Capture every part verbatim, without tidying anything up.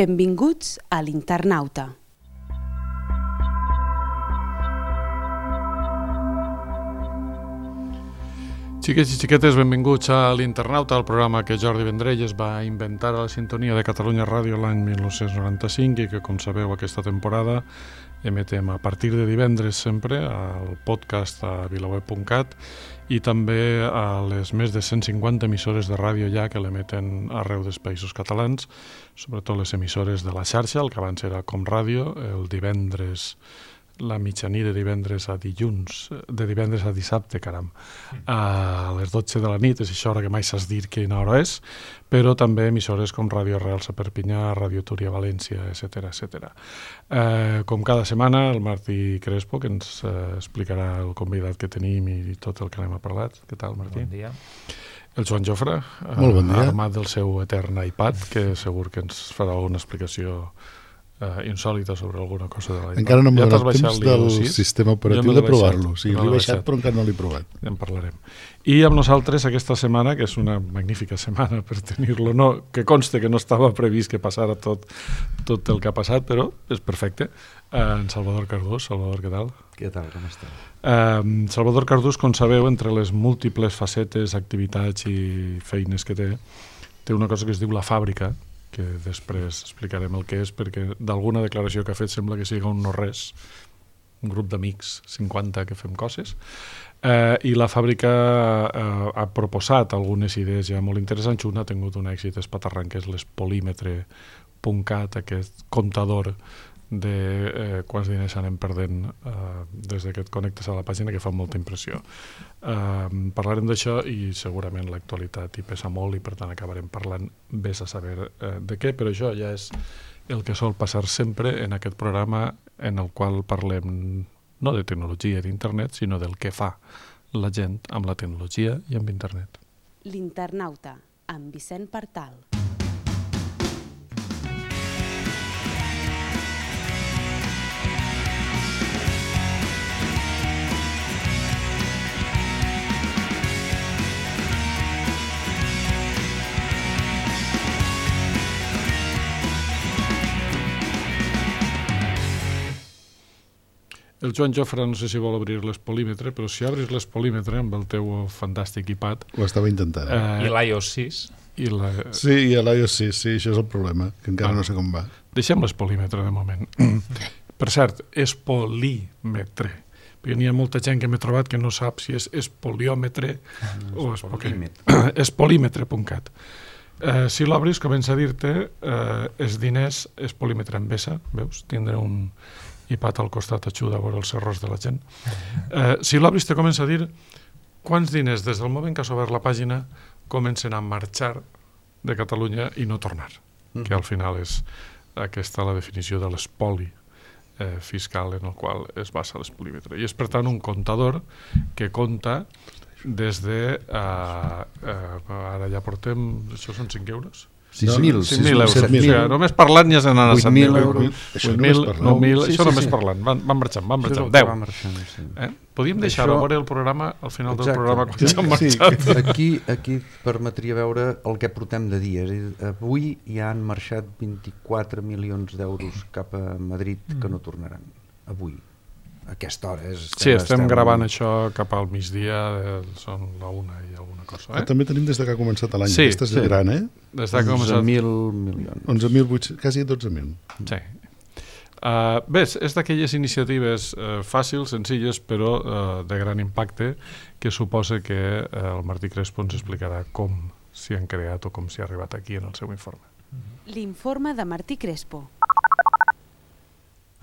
Benvinguts a l'Internauta. Xiquets i xiquetes, benvinguts a l'Internauta, el programa que Jordi Vendrell va inventar a la sintonia de Catalunya Ràdio l'any mil nou-cents noranta-cinc i que, com sabeu, aquesta temporada emetem a partir de divendres sempre al podcast a vilaweb punt cat i també a les més de cent cinquanta emissores de ràdio ja que l'emeten arreu dels països catalans, sobretot les emissores de la xarxa, el que abans era Com Ràdio, el divendres, la mitjanit de divendres a dilluns, de divendres a dissabte, caram, a les dotze de la nit, és això hora que mai saps dir quina hora és, però també emissores com Ràdio Arrels a Perpinyà, Ràdio Túria a València, etcètera, etcètera. Eh, com cada setmana, el Martí Crespo, que ens eh, explicarà el convidat que tenim i tot el que anem a parlar. Què tal, Martí? Bon dia. El Joan Jofre, Molt bon dia. armat del seu etern iPad, que segur que ens farà una explicació Uh, insòlita sobre alguna cosa de l'iPad. Encara no m'ha ja donat temps del sistema operatiu de provar-lo. Sí, no l'he baixat, baixat, però encara no l'he provat. Ja en parlarem. I amb nosaltres aquesta setmana, que és una magnífica setmana per tenir-lo, no, que conste que no estava previst que passara tot, tot el que ha passat, però és perfecte. Uh, en Salvador Cardús. Salvador, què tal? Què tal, com esteu? Uh, Salvador Cardús, com sabeu, entre les múltiples facetes, activitats i feines que té, té una cosa que es diu La Fàbrica, que després explicarem el que és, perquè d'alguna declaració que ha fet sembla que sigui un no-res, un grup d'amics, cinquanta, que fem coses, eh, i La Fàbrica eh, ha proposat algunes idees ja molt interessants. Una ha tingut un èxit espaterrant, que és l'espolímetre punt cat, aquest comptador de eh, quants diners anem perdent eh, des que et connectes a la pàgina, que fa molta impressió. Eh, parlarem d'això i segurament l'actualitat hi pesa molt i per tant acabarem parlant vés a saber eh, de què, però això ja és el que sol passar sempre en aquest programa en el qual parlem no de tecnologia i d'internet, sinó del que fa la gent amb la tecnologia i amb internet. L'Internauta, amb Vicent Partal. El Joan Jofre no sé si vol obrir l'espolímetre, però si obris l'espolímetre amb el teu fantàstic iPad... Ho estava intentant. Eh, I l'iOS sis? I la... Sí, i a l'iOS sis, sí, això és el problema, que encara ah. no sé com va. Deixem l'espolímetre de moment. Per cert, espolímetre. Perquè n'hi ha molta gent que m'he trobat que no sap si és espoliòmetre mm, o espolímetre. Espolímetre punt cat. Eh, si l'obris, comença a dir-te eh, els diners, espolímetre en vessa, veus? Tindré un iPad al costat ajuda a veure els errors de la gent. Eh, si l'obris te comença a dir quants diners des del moment que has obert la pàgina comencen a marxar de Catalunya i no tornar, mm. que al final és aquesta la definició de l'espoli eh, fiscal en el qual es basa l'espolímetre. I és per tant un comptador que compta des de uh, uh, ara ja portem, això són cinc euros? sis mil euros. O sigui, només parlant ja se n'han a set mil euros. Això només parlant. nou mil, sí, això sí, només sí. parlant. Van, van marxant, van marxant. deu. deu. Sí. Eh? Podíem deixar-ho Això... veure el programa al final Exacte. del programa quan Sí, ja han marxat. Sí. Aquí, aquí permetria veure el que portem de dia. És a dir, avui ja han marxat vint-i-quatre milions d'euros cap a Madrid que no tornaran. Avui. A aquesta hora. És, estem, Sí, estem, estem gravant molt... això cap al migdia, eh, són la una i alguna cosa. Eh? Ah, també tenim des que ha començat l'any. Sí, Aquesta és sí. gran, eh? Des que ha onze començat... mil milions. onze mil vuit-cents, quasi dotze mil. Sí. Uh, bé, és d'aquelles iniciatives uh, fàcils, senzilles, però uh, de gran impacte, que suposa que uh, el Martí Crespo ens explicarà com s'hi han creat o com s'hi ha arribat aquí en el seu informe. L'informe de Martí Crespo.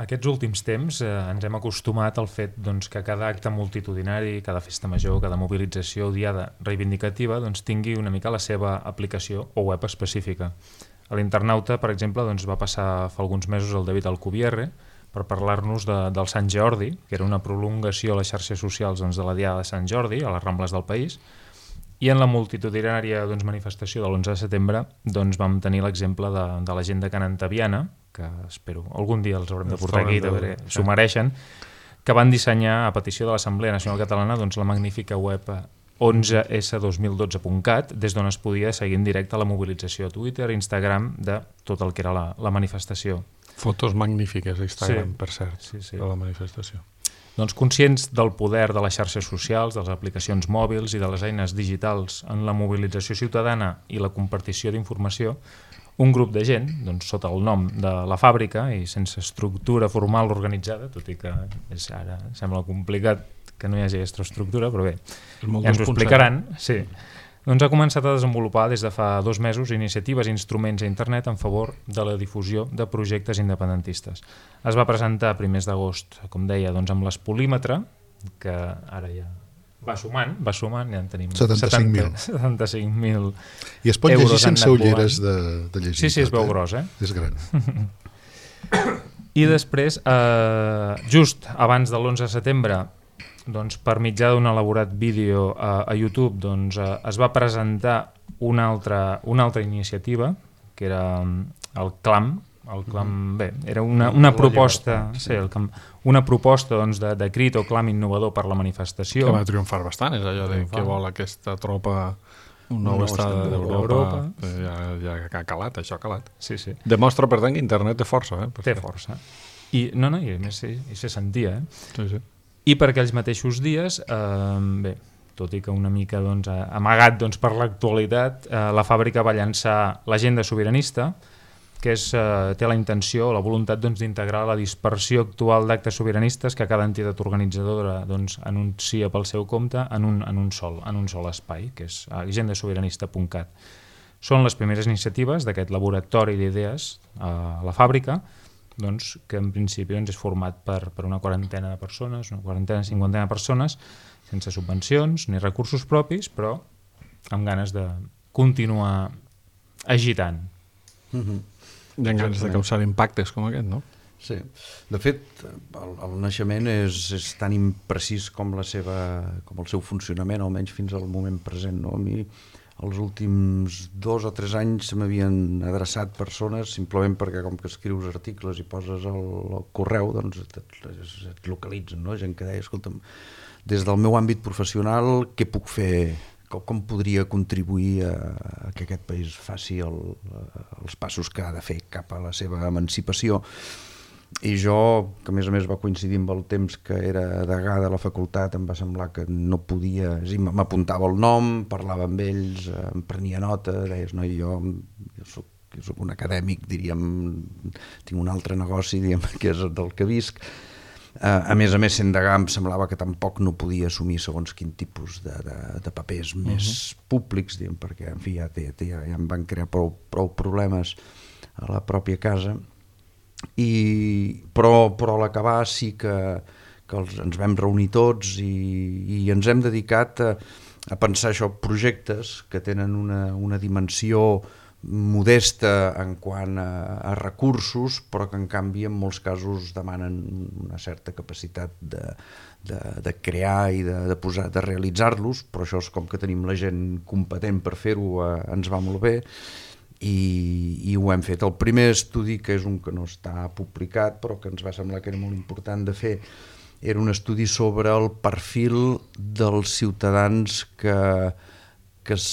Aquests últims temps eh, ens hem acostumat al fet doncs, que cada acte multitudinari, cada festa major, cada mobilització o diada reivindicativa doncs, tingui una mica la seva aplicació o web específica. A l'Internauta, per exemple, doncs, va passar fa alguns mesos el David Alcubierre per parlar-nos de, del Sant Jordi, que era una prolongació a les xarxes socials doncs, de la Diada de Sant Jordi, a les Rambles del país, i en la multitudinària doncs, manifestació de l'onze de setembre doncs, vam tenir l'exemple de, de la gent de Can Antaviana, que espero algun dia els haurem de portar aquí, de s'ho mereixen, que van dissenyar a petició de l'Assemblea Nacional Catalana doncs, la magnífica web onze esse dos mil dotze punt cat, des d'on es podia seguir en directe la mobilització a Twitter, Instagram, de tot el que era la, la manifestació. Fotos magnífiques a Instagram, Sí. per cert, Sí, sí. de la manifestació. Doncs conscients del poder de les xarxes socials, de les aplicacions mòbils i de les eines digitals en la mobilització ciutadana i la compartició d'informació, un grup de gent, doncs, sota el nom de La Fàbrica i sense estructura formal organitzada, tot i que és, ara sembla complicat que no hi hagi aquesta estructura, però bé, És molt ja ens ho dos punt explicaran. Sí. Doncs ha començat a desenvolupar des de fa dos mesos iniciatives i instruments a internet en favor de la difusió de projectes independentistes. Es va presentar a primers d'agost, com deia, doncs amb l'Espolímetre, que ara ja va sumant, va sumant, ja en tenim setanta-cinc mil. setanta-cinc mil I es pot llegir euros han sense anat ulleres volant. de, de llegir. Sí, sí, es tot, veu eh? gros, eh? És gran. I després, eh, just abans de l'onze de setembre, doncs, per mitjà d'un elaborat vídeo a, a YouTube, doncs, eh, es va presentar una altra, una altra iniciativa, que era mm, el CLAM, el clam, bé, era una, una proposta, sí, el clam, una proposta doncs, de, de crit o clam innovador per la manifestació. Que va triomfar bastant, és allò de que vol aquesta tropa un nou estat d'Europa. Ja, ja ha calat, això ha calat. Sí, sí. Demostra, per tant, que internet té força. Eh? Té força. I, no, no, i a més sí, i se sentia. Eh? Sí, sí. I per aquells mateixos dies, eh, bé, tot i que una mica doncs, amagat doncs, per l'actualitat, eh, la fàbrica va llançar l'agenda sobiranista, que és, eh, té la intenció, la voluntat doncs, d'integrar la dispersió actual d'actes sobiranistes que cada entitat organitzadora doncs, anuncia pel seu compte en un, en un, sol, en un sol espai, que és agenda sobiranista punt cat. Són les primeres iniciatives d'aquest laboratori d'idees a la fàbrica, doncs, que en principi doncs, és format per, per una quarantena de persones, una quarantena, cinquantena de persones, sense subvencions ni recursos propis, però amb ganes de continuar agitant. Mm-hmm. Hi ha ganes de causar impactes com aquest, no? Sí. De fet, el, el naixement és, és tan imprecís com, la seva, com el seu funcionament, almenys fins al moment present. No? A mi, els últims dos o tres anys m'havien adreçat persones simplement perquè com que escrius articles i poses el, el correu, doncs et, et, et localitzen, no? Gent que deia, escolta'm, des del meu àmbit professional, què puc fer, com, com podria contribuir a, a que aquest país faci el, els passos que ha de fer cap a la seva emancipació. I jo, que a més a més va coincidir amb el temps que era degà de la facultat, em va semblar que no podia, és dir, m'apuntava el nom, parlava amb ells, em prenia nota, deies, no, jo, jo soc, jo soc un acadèmic, diríem, tinc un altre negoci, diríem, que és del que visc. A més a més, sent degà, em semblava que tampoc no podia assumir segons quin tipus de, de, de papers uh-huh. més públics, diguem, perquè, en fi, ja, ja, ja, ja em van crear prou, prou problemes a la pròpia casa. I, però, però a l'acabar sí que, que els, ens vam reunir tots i, i ens hem dedicat a, a pensar això, projectes que tenen una, una dimensió modesta en quant a, a recursos, però que en canvi en molts casos demanen una certa capacitat de, de, de crear i de, de, posar, de realitzar-los, però això és com que tenim la gent competent per fer-ho, eh, ens va molt bé. I, i ho hem fet. El primer estudi, que és un que no està publicat però que ens va semblar que era molt important de fer, era un estudi sobre el perfil dels ciutadans que, que es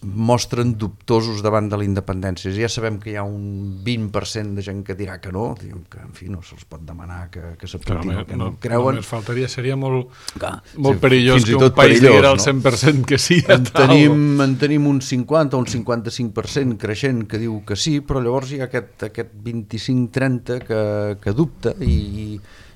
mostren dubtosos davant de la independència. Ja sabem que hi ha un vint per cent de gent que dirà que no, que en fi no se'ls pot demanar que, que s'apuntin el que no, no creuen. Només faltaria, seria molt, Clar, molt sí, perillós que un país diguera el cent per cent que sí. En tenim, en tenim un cinquanta o un cinquanta-cinc per cent creixent que diu que sí, però llavors hi ha aquest, aquest vint-i-cinc trenta que, que dubta i,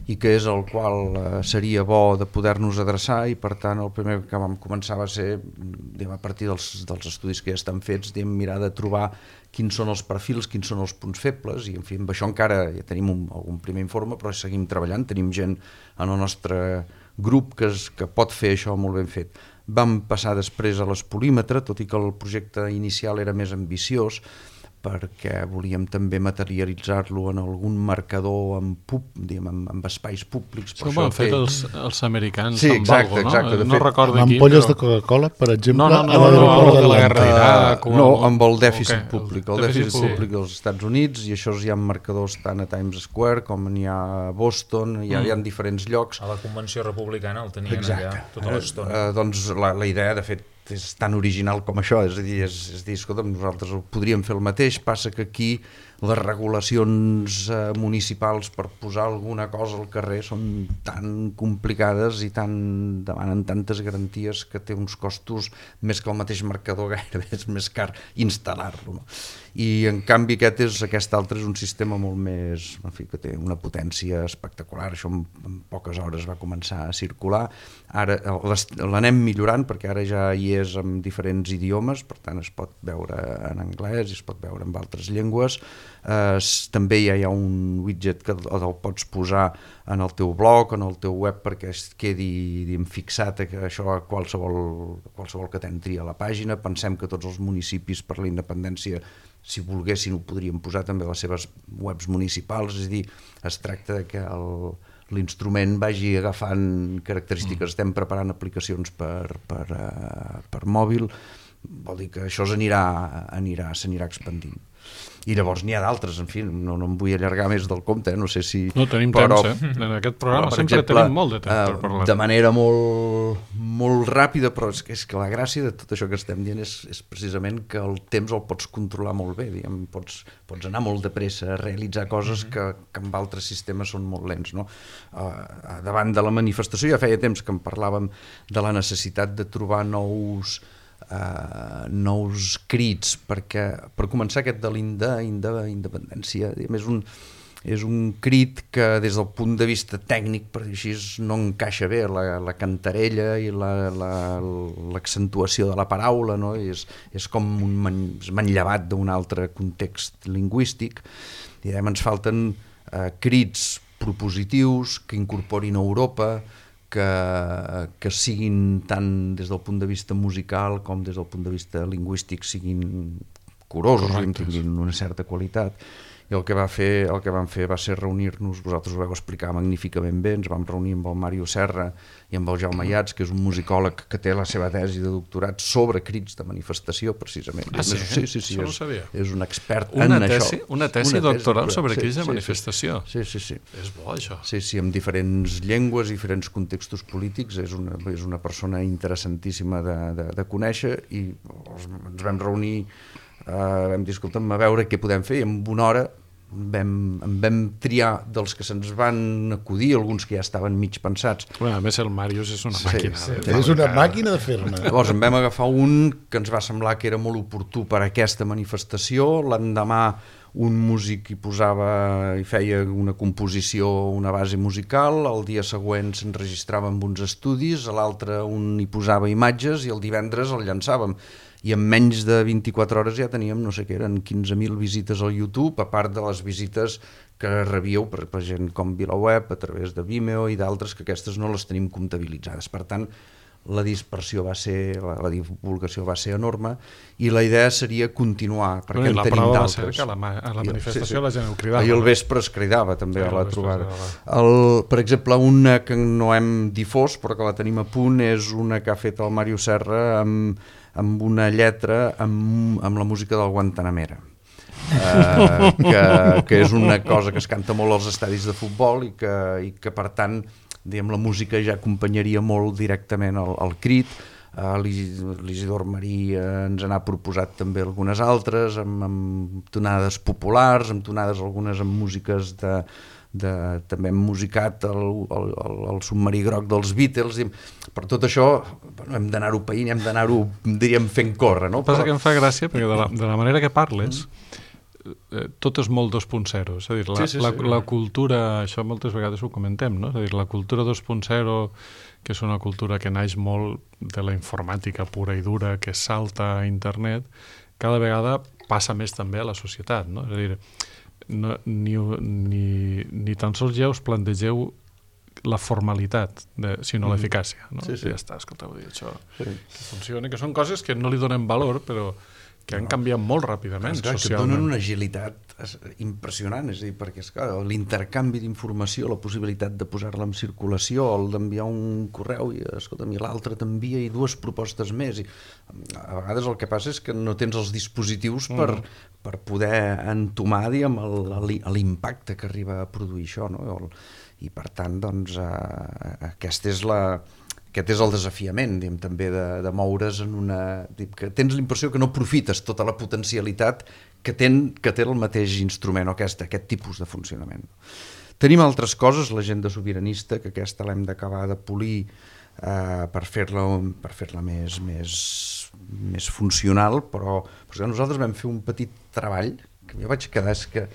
i que és el qual seria bo de poder-nos adreçar, i per tant el primer que vam començar va ser, diguem, a partir dels, dels estudis que ja estan fets, diguem, mirar de trobar quins són els perfils, quins són els punts febles, i en fi, amb això encara ja tenim un, algun primer informe, però seguim treballant, tenim gent en el nostre grup que, es, que pot fer això molt ben fet. Vam passar després a l'Espolímetre, tot i que el projecte inicial era més ambiciós, perquè volíem també materialitzar-lo en algun marcador amb, pub, diguem, amb, amb espais públics. Això ho han fet els, els americans sí, amb exacte, algo, no? Exacte, no fet, recordo amb qui, ampolles però... de Coca-Cola, per exemple, no, no, no, a l'aeroport no, de la d'Atlanta. guerra d'Iraq. Uh, no, amb el dèficit okay, públic. El, el dèficit, dèficit públic dels Estats Units, i això hi ha marcadors tant a Times Square com n'hi ha a Boston, hi ha, mm. hi ha diferents llocs. A la Convenció Republicana el tenien Exacte. allà tota l'estona. Uh, doncs la, la idea, de fet, és tan original com això, és a dir, és, és dir, escolta'm, nosaltres podríem fer el mateix, passa que aquí les regulacions eh, municipals per posar alguna cosa al carrer són tan complicades i tan, demanen tantes garanties que té uns costos més que el mateix marcador, gairebé és més car instal·lar-lo. No? I en canvi aquest, és, aquest altre és un sistema molt més, en fi, que té una potència espectacular, això en, en poques hores va començar a circular, ara l'anem millorant perquè ara ja hi és en diferents idiomes, per tant es pot veure en anglès i es pot veure en altres llengües. Uh, també ja hi ha un widget que el pots posar en el teu blog, en el teu web, perquè es quedi diguem, fixat a això a qualsevol, qualsevol que t'entri a la pàgina. Pensem que tots els municipis per la independència, si volguessin, ho podrien posar també a les seves webs municipals, és a dir, es tracta que el, l'instrument vagi agafant característiques. Mm. Estem preparant aplicacions per, per, uh, per mòbil, vol dir que això s'anirà, anirà, s'anirà expandint. I llavors n'hi ha d'altres, en fi, no, no em vull allargar més del compte, eh? No sé si... No, tenim però, temps, eh? En aquest programa però, sempre exemple, tenim molt de temps per parlar. De manera molt, molt ràpida, però és que, és que la gràcia de tot això que estem dient és, és precisament que el temps el pots controlar molt bé, diguem, pots, pots anar molt de pressa a realitzar coses mm-hmm. que, que amb altres sistemes són molt lents, no? Uh, davant de la manifestació ja feia temps que en parlàvem de la necessitat de trobar nous... Uh, nous crits perquè, per començar, aquest de l'independència és un, és un crit que des del punt de vista tècnic, per dir així, no encaixa bé la, la cantarella i l'accentuació la, la, de la paraula, no? és, és com un man, manllevat d'un altre context lingüístic, i ens falten uh, crits propositius que incorporin Europa, Que, que siguin tant des del punt de vista musical com des del punt de vista lingüístic siguin curosos, tinguin una certa qualitat. I el que, va fer, el que vam fer va ser reunir-nos, vosaltres ho vau explicar magníficament bé, ens vam reunir amb el Màrio Serra i amb el Jaume Iats, que és un musicòleg que té la seva tesi de doctorat sobre crits de manifestació, precisament. Ah, sí? Sí, sí, sí, Això no és, ho sabia. És un expert una en tesi, això. Una tesi una doctoral tesi, sobre sí, crits de sí, manifestació. Sí, sí, sí. És bo, això. Sí, sí, amb diferents llengües, diferents contextos polítics, és una, és una persona interessantíssima de, de, de conèixer, i ens vam reunir, uh, vam dir, escolta'm, a veure què podem fer, i en una hora vam, en vam triar dels que se'ns van acudir, alguns que ja estaven mig pensats. Bueno, a més el Màrius és una Sí, màquina. sí, de- És una màquina de fer-ne. Llavors en vam agafar un que ens va semblar que era molt oportú per a aquesta manifestació. L'endemà un músic hi posava i feia una composició, una base musical, el dia següent s'enregistrava amb uns estudis, a l'altre un hi posava imatges i el divendres el llançàvem. I en menys de vint-i-quatre hores ja teníem, no sé què, eren quinze mil visites al YouTube, a part de les visites que rebíeu per, per gent com VilaWeb, a través de Vimeo i d'altres, que aquestes no les tenim comptabilitzades. Per tant, la dispersió va ser, la, la divulgació va ser enorme, i la idea seria continuar, perquè Bueno, i en la tenim prova va ser d'altres. que a la, ma- a la I- manifestació sí, sí. la gent ho cridava. Ahir al no? vespre es cridava també Sí, a al la vespre trobada. es El, per exemple, una que no hem difós però que la tenim a punt és una que ha fet el Màrius Serra amb, amb una lletra amb, amb la música del Guantanamera. Uh, que, que és una cosa que es canta molt als estadis de futbol i que, i que per tant, diguem, la música ja acompanyaria molt directament el, el crit. Uh, l'Isidor Marí uh, ens n'ha proposat també algunes altres amb, amb tonades populars, amb tonades algunes amb músiques de, de, també hem musicat el, el, el, el submarí groc dels Beatles, i per tot això bueno, hem d'anar-ho païnt, hem d'anar-ho, diríem, fent córrer, no? Passa Però... que em fa gràcia perquè de la, de la manera que parles eh, tot és molt dos punt zero, és a dir, la, Sí, sí, sí. la, la cultura, això moltes vegades ho comentem, no? És a dir, la cultura dos punt zero, que és una cultura que naix molt de la informàtica pura i dura, que salta a internet, cada vegada passa més també a la societat, no? És a dir, no, ni, ni, ni tan sols ja us plantegeu la formalitat, de, sinó mm. l'eficàcia, no? Sí, sí. Ja està, escolta, vull dir, això Sí. que funciona, que són coses que no li donem valor, però que han canviat molt ràpidament Esclar, que socialment. donen una agilitat impressionant, és a dir, perquè esclar, l'intercanvi d'informació, la possibilitat de posar-la en circulació, el d'enviar un correu i, escolta'm, i l'altre t'envia i dues propostes més. I a vegades el que passa és que no tens els dispositius per, mm. per poder entomar, diguem, l'impacte que arriba a produir això, no? I per tant, doncs, eh, aquesta és la... Aquest és el desafiament, diguem, també de, de moure's en una... Diguem, que tens la impressió que no aprofites tota la potencialitat que, ten, que té el mateix instrument o aquest, aquest tipus de funcionament. Tenim altres coses, l'agenda sobiranista, que aquesta l'hem d'acabar de polir eh, per fer-la per fer-la més, més, més funcional, però, però nosaltres vam fer un petit treball que jo vaig quedar... És que,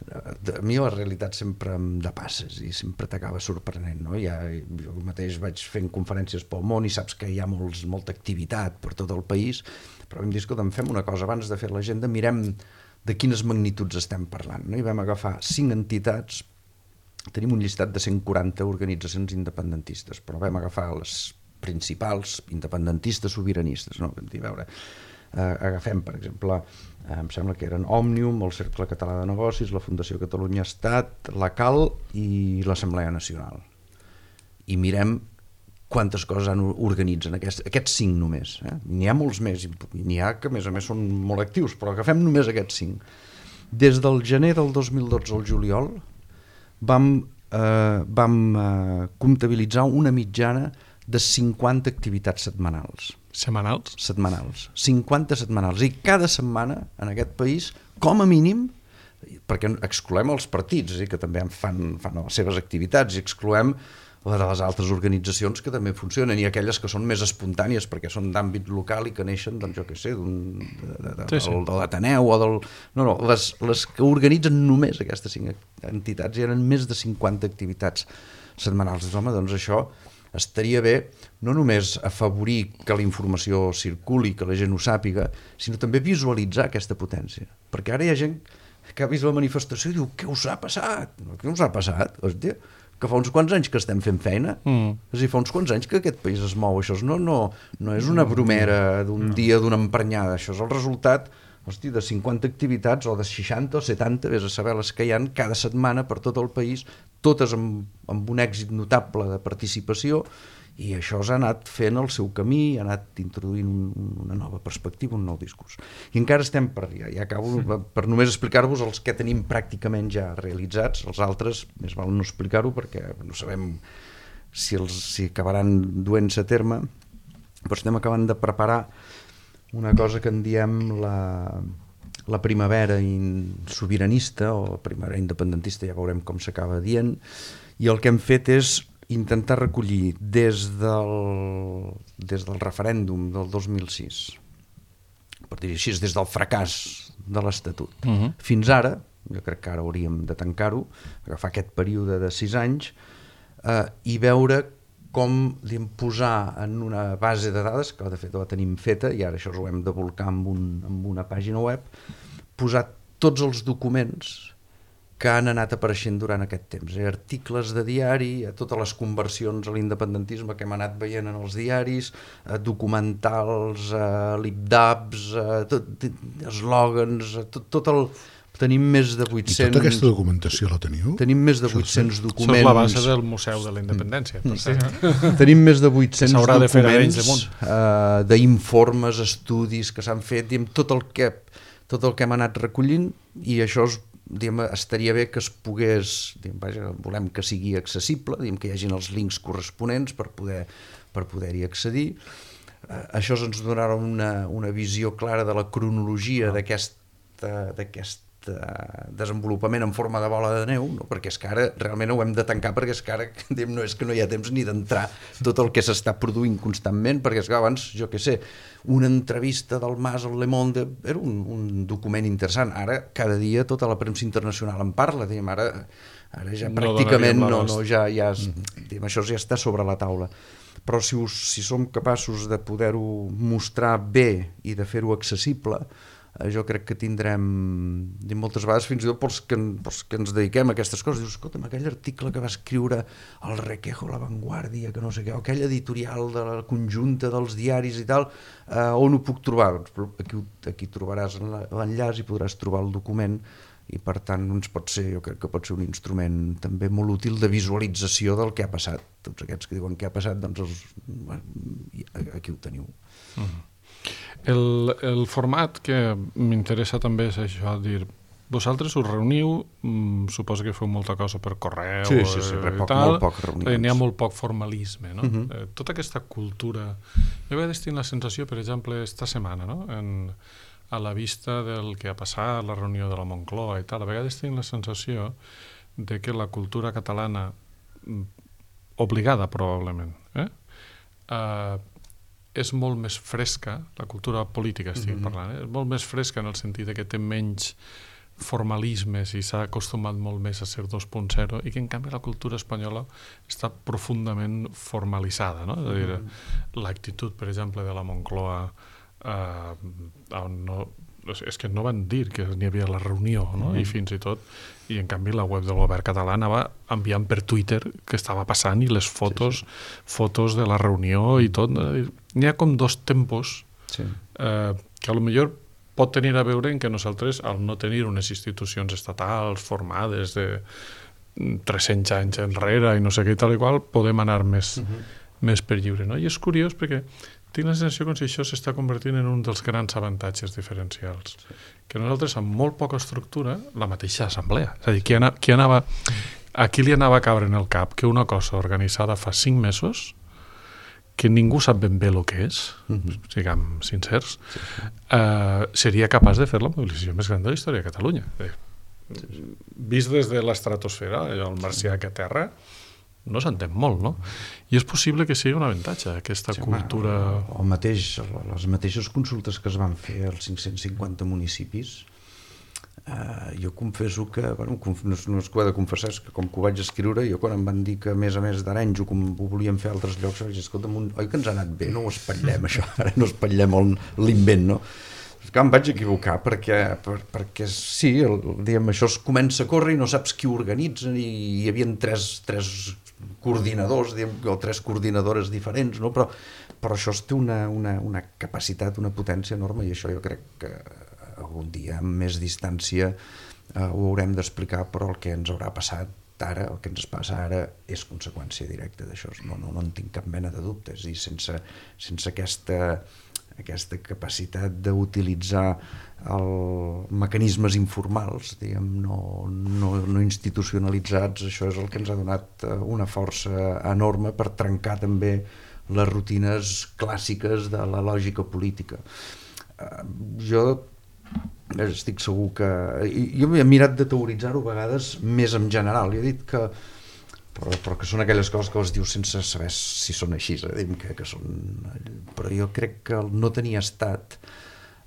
a mi la realitat sempre em depasses i sempre t'acaba sorprenent, no? Ja, jo mateix vaig fent conferències pel món i saps que hi ha molts, molta activitat per tot el país, però vam dir, escolta, fem una cosa, abans de fer l'agenda mirem de quines magnituds estem parlant, no? I vam agafar cinc entitats, tenim un llistat de cent quaranta organitzacions independentistes, però vam agafar les principals independentistes sobiranistes, no? Vam dir, a veure, eh, agafem, per exemple, eh, em sembla que eren Òmnium, el Cercle Català de Negocis, la Fundació Catalunya Estat, la CAL i l'Assemblea Nacional. I mirem quantes coses han organitzen, aquests, aquests cinc només. Eh? N'hi ha molts més, i n'hi ha que a més a més són molt actius, però agafem només aquests cinc. Des del gener del dos mil dotze al juliol vam, eh, vam eh, comptabilitzar una mitjana de cinquanta activitats setmanals. Setmanals? Setmanals. cinquanta setmanals. I cada setmana en aquest país, com a mínim, perquè excloem els partits, és a dir, que també fan, fan les seves activitats, i excloem les de les altres organitzacions que també funcionen, i aquelles que són més espontànies perquè són d'àmbit local i que neixen, doncs jo què sé, d'un, de, de, de, sí, sí. de l'Ateneu o del... No, no, les, les que organitzen només aquestes cinc entitats hi eren més de cinquanta activitats setmanals. Home, doncs això estaria bé no només afavorir que la informació circuli, que la gent ho sàpiga, sinó també visualitzar aquesta potència. Perquè ara hi ha gent que ha vist la manifestació i diu, què us ha passat? Què us ha passat? Hòstia, que fa uns quants anys que estem fent feina, mm. és a dir, fa uns quants anys que aquest país es mou, això no, no, no és una bromera d'un no. dia, d'una emprenyada, això és el resultat, hosti, de cinquanta activitats o de seixanta o setanta, vés a saber les que hi ha cada setmana per tot el país, totes amb, amb un èxit notable de participació, i això s'ha anat fent el seu camí, ha anat introduint un, una nova perspectiva, un nou discurs. I encara estem per allà, ja acabo per només explicar-vos els que tenim pràcticament ja realitzats, els altres més val no explicar-ho perquè no sabem si, els, si acabaran duent-se a terme, però estem acabant de preparar una cosa que en diem la, la primavera sobiranista o primavera independentista, ja veurem com s'acaba dient, i el que hem fet és intentar recollir des del, des del referèndum del dos mil sis, per dir així, des del fracàs de l'Estatut, uh-huh. fins ara, jo crec que ara hauríem de tancar-ho, agafar aquest període de sis anys eh, i veure com diguem, posar en una base de dades, que de fet la tenim feta i ara això ho hem de volcar amb, un, amb una pàgina web, posar tots els documents que han anat apareixent durant aquest temps. Eh? Articles de diari, eh, totes les conversions a l'independentisme que hem anat veient en els diaris, eh, documentals, eh, lipdabs, eh, tot, eslògans, eh, tot, tot el... Tenim més de vuit-cents... I tota aquesta documentació la teniu? Tenim més de vuit-cents Això documents... Això és la base del Museu de la Independència. Per sí. Tenim més de vuit-cents de documents eh, d'informes, estudis que s'han fet, diguem, tot, el que, tot el que hem anat recollint, i això és, diguem, estaria bé que es pogués... Diguem, vaja, volem que sigui accessible, diguem, que hi hagin els links corresponents per poder, per poder-hi accedir. Eh, això ens donarà una, una visió clara de la cronologia d'aquesta d'aquest desenvolupament en forma de bola de neu, no? Perquè és que ara realment ho hem de tancar, perquè és que ara no és que no hi ha temps ni d'entrar tot el que s'està produint constantment, perquè és que abans, jo què sé, una entrevista del Mas al Le Monde era un, un document interessant, ara cada dia tota la premsa internacional en parla, diguem, ara, ara ja no pràcticament no, no, ja, ja diguem, això ja està sobre la taula, però si, us, si som capaços de poder-ho mostrar bé i de fer-ho accessible, eh, jo crec que tindrem i moltes vegades fins i tot pels que, pels que ens dediquem a aquestes coses, dius, escolta'm, aquell article que va escriure el Requejo, La Vanguardia, que no sé què, o aquell editorial de la conjunta dels diaris i tal, eh, on ho puc trobar? Doncs aquí, aquí trobaràs l'enllaç i podràs trobar el document, i per tant doncs pot ser, jo crec que pot ser un instrument també molt útil de visualització del que ha passat. Tots aquests que diuen què ha passat, doncs els, bueno, aquí ho teniu. Mm. el, el format que m'interessa també és això, dir, vosaltres us reuniu, mm, suposo que feu molta cosa per correu, sí, sí, sí, eh, poc, tal, molt poc reunions. N'hi ha molt poc formalisme, no? Uh-huh. eh, tota aquesta cultura, jo a vegades tinc la sensació, per exemple, esta setmana, no? En, a la vista del que ha passat, la reunió de la Moncloa i tal, a vegades tinc la sensació de que la cultura catalana, obligada probablement, eh? Uh, és molt més fresca, la cultura política estic mm-hmm. parlant, eh? És molt més fresca en el sentit de que té menys formalismes i s'ha acostumat molt més a ser dos punt zero i que en canvi la cultura espanyola està profundament formalitzada, no? És a dir, mm-hmm. l'actitud, per exemple, de la Moncloa, Uh, no, és que no van dir que n'hi havia la reunió, no? Mm. I fins i tot, i en canvi la web del govern català anava enviant per Twitter que estava passant i les fotos sí, sí. fotos de la reunió i tot, no? N'hi ha com dos tempos sí. uh, que a lo millor pot tenir a veure en que nosaltres, al no tenir unes institucions estatals formades de tres-cents anys enrere i no sé què i tal i qual, podem anar més, mm-hmm. més per lliure, no? I és curiós perquè tinc la sensació com si això s'està convertint en un dels grans avantatges diferencials. Sí. Que nosaltres, amb molt poca estructura, la mateixa assemblea. És a dir, qui, anava, qui anava, a qui li anava a caure en el cap que una cosa organitzada fa cinc mesos, que ningú sap ben bé el que és, mm-hmm. siguem sincers, sí, sí. Uh, seria capaç de fer la mobilització més gran de la història de Catalunya. Sí, sí. Vist des de l'estratosfera, el marcià que aterra, no s'entén molt, no? I és possible que sigui un avantatge, aquesta sí, cultura... O, o mateix, les mateixes consultes que es van fer als cinc-cents cinquanta municipis, eh, jo confesso que, bueno, no, no és que ho he de confessar, és que com que ho vaig escriure, jo quan em van dir que a més a més d'Arenys ho, ho volíem fer a altres llocs, vaig dir, escolta'm, un, oi que ens ha anat bé, no ho espatllem això, ara no espatllem l'invent, no? Que em vaig equivocar perquè, per, perquè sí, el, diguem, això es comença a córrer i no saps qui ho organitza i hi havia tres, tres coordinadors diguem, o tres coordinadores diferents, no? però, però això té una, una, una capacitat, una potència enorme i això jo crec que algun dia amb més distància eh, ho haurem d'explicar, però el que ens haurà passat ara, el que ens passa ara és conseqüència directa d'això, no, no, no en tinc cap mena de dubtes i sense, sense aquesta aquesta capacitat d'utilitzar el mecanismes informals, diguem, no, no, no institucionalitzats, això és el que ens ha donat una força enorme per trencar també les rutines clàssiques de la lògica política. Jo estic segur que... Jo he mirat de teoritzar-ho a vegades més en general, i he dit que Però, però que són aquelles coses que els dius sense saber si són així, eh? que, que són... però jo crec que el no tenir estat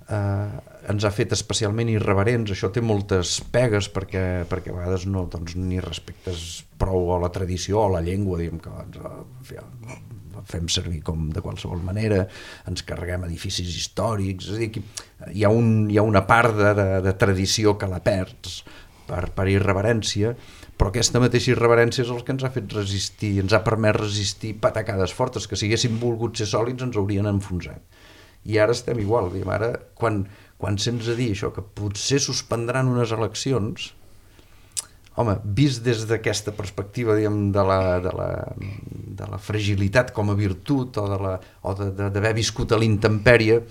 eh, ens ha fet especialment irreverents, això té moltes pegues perquè, perquè a vegades no, doncs, ni respectes prou a la tradició o a la llengua, diguem que ens, ja, fem servir com de qualsevol manera, ens carreguem edificis històrics, és a dir, que hi ha, un, hi ha una part de, de, de tradició que la perds per, per irreverència, però aquesta mateixa irreverència és el que ens ha fet resistir, ens ha permès resistir patacades fortes, que si haguéssim volgut ser sòlids ens haurien enfonsat. I ara estem igual, diguem, ara quan, quan sents a dir això, que potser suspendran unes eleccions, home, vist des d'aquesta perspectiva, diguem, de la, de la, de la fragilitat com a virtut o de la, o d'haver viscut a l'intempèrie,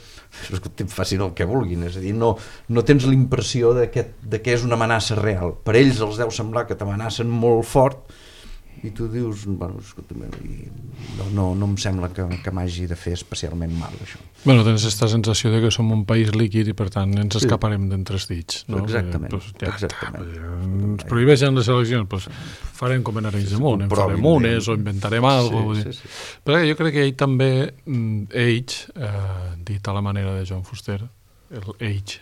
facin el que vulguin, és a dir, no, no tens la impressió de que, de que és una amenaça real. Per ells els deu semblar que t'amenacen molt fort i tu dius, bueno, escolta'm, no, no, no em sembla que, que m'hagi de fer especialment mal, això. Bueno, tens aquesta sensació de que som un país líquid i per tant ens escaparem sí. d'entre els dits, no? Exactament, pues, ja exactament. Està, ens prohibeixen les eleccions, pues, farem com en Arenys de Munt, en farem unes o inventarem alguna cosa. Sí, sí, sí. Però jo crec que ell també, ells, eh, dit a la manera de Joan Fuster, el ells,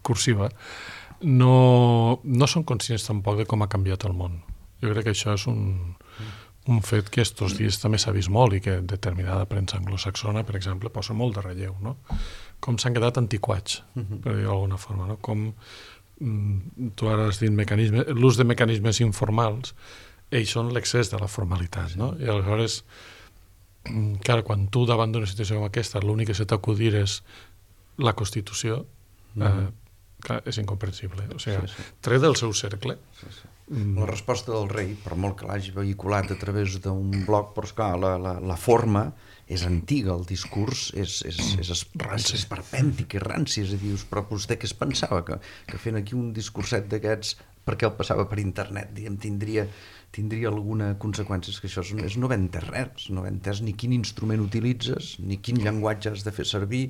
cursiva, no, no són conscients tampoc de com ha canviat el món. Jo crec que això és un, un fet que estos dies també s'ha vist molt i que determinada premsa anglosaxona, per exemple, posa molt de relleu, no? Com s'han quedat antiquats, per dir-ho d'alguna forma, no? Com mm, tu ara has dit mecanismes, l'ús de mecanismes informals, ells són l'excés de la formalitat, no? I aleshores, clar, quan tu davant d'una situació com aquesta l'únic que se t'acudir és la Constitució, eh, clar, és incomprensible. O sigui, sí, sí. Tret del seu cercle. Sí, sí. La resposta del rei, per molt que l'hagi vehiculat a través d'un blog, però esclar, la, la, la forma és antiga, el discurs és, és, és, és, és esperpèntic, és ranci, és a dir, però vostè què es pensava? Que, que fent aquí un discurset d'aquests, perquè el passava per internet, diguem, tindria, tindria alguna conseqüència? És que això és, és no haver entès res, no haver entès ni quin instrument utilitzes, ni quin llenguatge has de fer servir,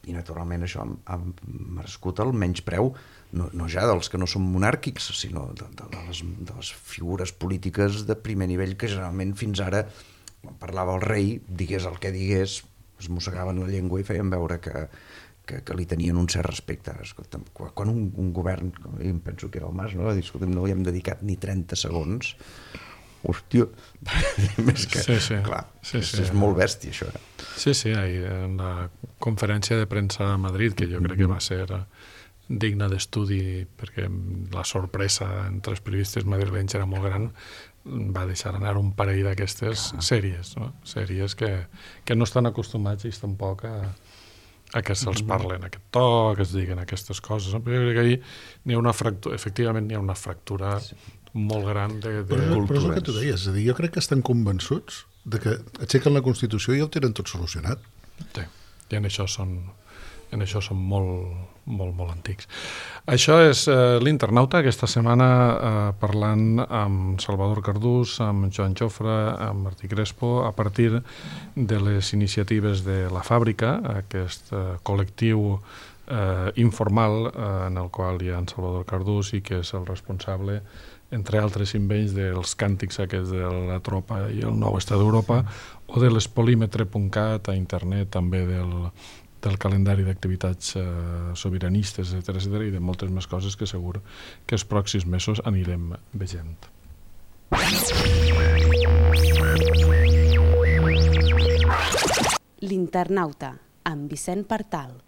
i naturalment això ha, ha merescut el menyspreu, no, no ja dels que no són monàrquics, sinó de, de, de, les, de les figures polítiques de primer nivell que generalment fins ara, quan parlava el rei, digués el que digués, es mossegaven la llengua i feien veure que, que, que li tenien un cert respecte. Escolta, quan un, un govern, jo em penso que era el Mas, no? Escolta, no hi hem dedicat ni trenta segons, hòstia, més que, sí, sí. clar, sí, és, sí. és molt bèstia això. Eh? Sí, sí, ahir en la conferència de premsa a Madrid, que jo crec que va ser digna d'estudi perquè la sorpresa entre els periodistes madrilenys era molt gran, va deixar anar un parell d'aquestes sèries, no? Sèries que, que no estan acostumats ells tampoc a, a que se'ls parlen aquest to, que es diguen aquestes coses. No? Però jo crec que ahir n'hi ha una fractura, efectivament n'hi ha una fractura molt gran de, de però, cultures. però és el que tu deies, és a dir, jo crec que estan convençuts de que aixequen la Constitució i ja ho tenen tot solucionat. Sí, i en això són, en això són molt, molt, molt antics. Això és eh, l'Internauta, aquesta setmana eh, parlant amb Salvador Cardús, amb Joan Jofre, amb Martí Crespo, a partir de les iniciatives de La Fàbrica, aquest eh, col·lectiu eh, informal eh, en el qual hi ha en Salvador Cardús i que és el responsable, entre altres invents, dels càntics aquests de la tropa i el nou estat d'Europa, o de l'espolímetre punt cat a internet, també del, del calendari d'activitats eh, sobiranistes, etcètera, etcètera, i de moltes més coses que segur que els pròxims mesos anirem veient. L'Internauta, amb Vicent Partal.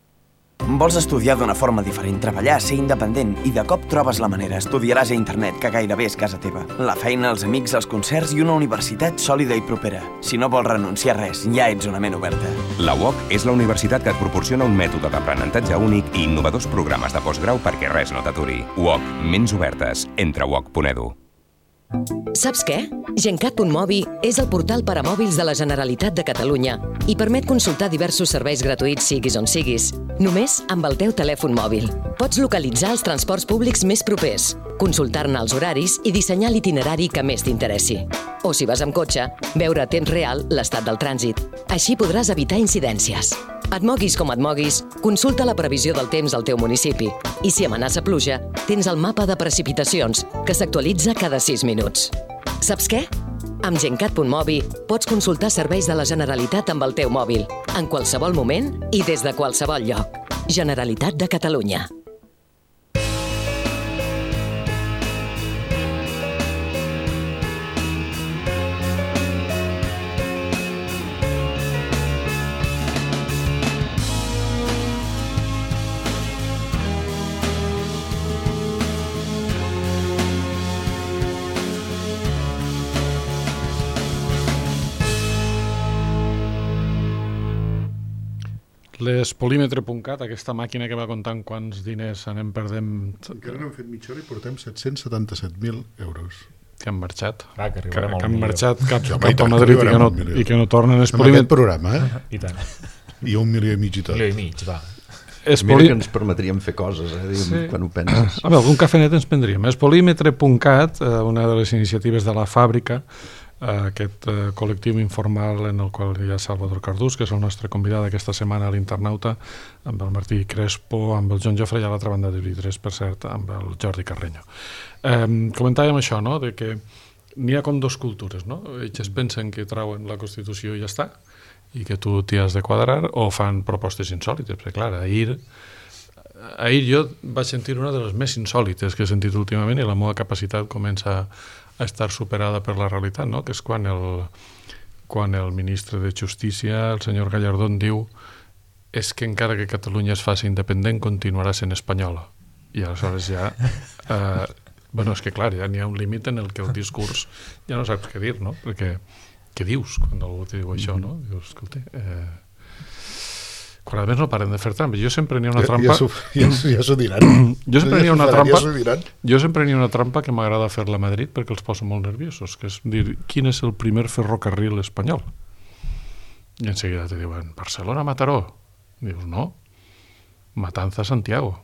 Vols estudiar d'una forma diferent, treballar, ser independent i de cop trobes la manera, estudiaràs a internet, que gairebé és casa teva. La feina, els amics, els concerts i una universitat sòlida i propera. Si no vols renunciar a res, ja ets una ment oberta. La U O C és la universitat que et proporciona un mètode d'aprenentatge únic i innovadors programes de postgrau perquè res no t'aturi. U O C, ments obertes. Entra a u o c punt e d u. Saps què? Gencat punt mobi és el portal per a mòbils de la Generalitat de Catalunya i permet consultar diversos serveis gratuïts siguis on siguis, només amb el teu telèfon mòbil. Pots localitzar els transports públics més propers, consultar-ne els horaris i dissenyar l'itinerari que més t'interessi. O si vas amb cotxe, veure a temps real l'estat del trànsit. Així podràs evitar incidències. Et moguis com et moguis, consulta la previsió del temps al teu municipi. I si amenaça pluja, tens el mapa de precipitacions, que s'actualitza cada sis minuts. Saps què? Amb Gencat punt mobi pots consultar serveis de la Generalitat amb el teu mòbil, en qualsevol moment i des de qualsevol lloc. Generalitat de Catalunya. L'espolímetre punt cat, aquesta màquina que va comptant quants diners anem perdent... Encara no hem fet mitja hora i portem set-cents setanta-set mil euros. Que han marxat. Ah, que que, arribarem al que han milió. marxat cap, Jo, cap i tant, a Madrid i que, arribarem no, al milió. i que no tornen. Amb aquest Espolímetre, programa, eh? I tant. I un milió i mig i tot. Milió i mig, va. Mira espoli... que ens permetríem fer coses, eh, diguem, Sí. quan ho penses. A veure, algun cafenet ens prendríem. Espolímetre punt cat, eh, una de les iniciatives de La Fàbrica, eh, aquest eh, col·lectiu informal en el qual hi ha Salvador Cardús, que és el nostre convidat aquesta setmana a l'Internauta, amb el Martí Crespo, amb el Joan Jofre i a l'altra banda de vint i tres, per cert, amb el Jordi Carreño. Eh, comentàvem això, no?, de que n'hi ha com dos cultures, no? Ells pensen que trauen la Constitució i ja està, i que tu t'hi has de quadrar, o fan propostes insòlites, perquè clar, ahir ahir jo vaig sentir una de les més insòlites que he sentit últimament i la meva capacitat comença a estar superada per la realitat, no? Que és quan el, quan el ministre de Justícia, el senyor Gallardón, diu és que encara que Catalunya es faci independent continuarà sent espanyola. I aleshores ja... Eh, bueno, és que clar, ja n'hi ha un límit en el que el discurs ja no saps què dir, no? Perquè què dius quan algú te diu això, no? Dius, escolta... Eh, quan a més no paren de fer trampes. Jo sempre n'hi ha una trampa... Ja, ja, ja s'ho diran. Jo sempre n'hi ha una ja trampa... Ja jo sempre n'hi ha una trampa que m'agrada fer-la a Madrid perquè els poso molt nerviosos, que és dir, quin és el primer ferrocarril espanyol? I en seguida te diuen, Barcelona-Mataró. Dius, no, Matanza-Santiago.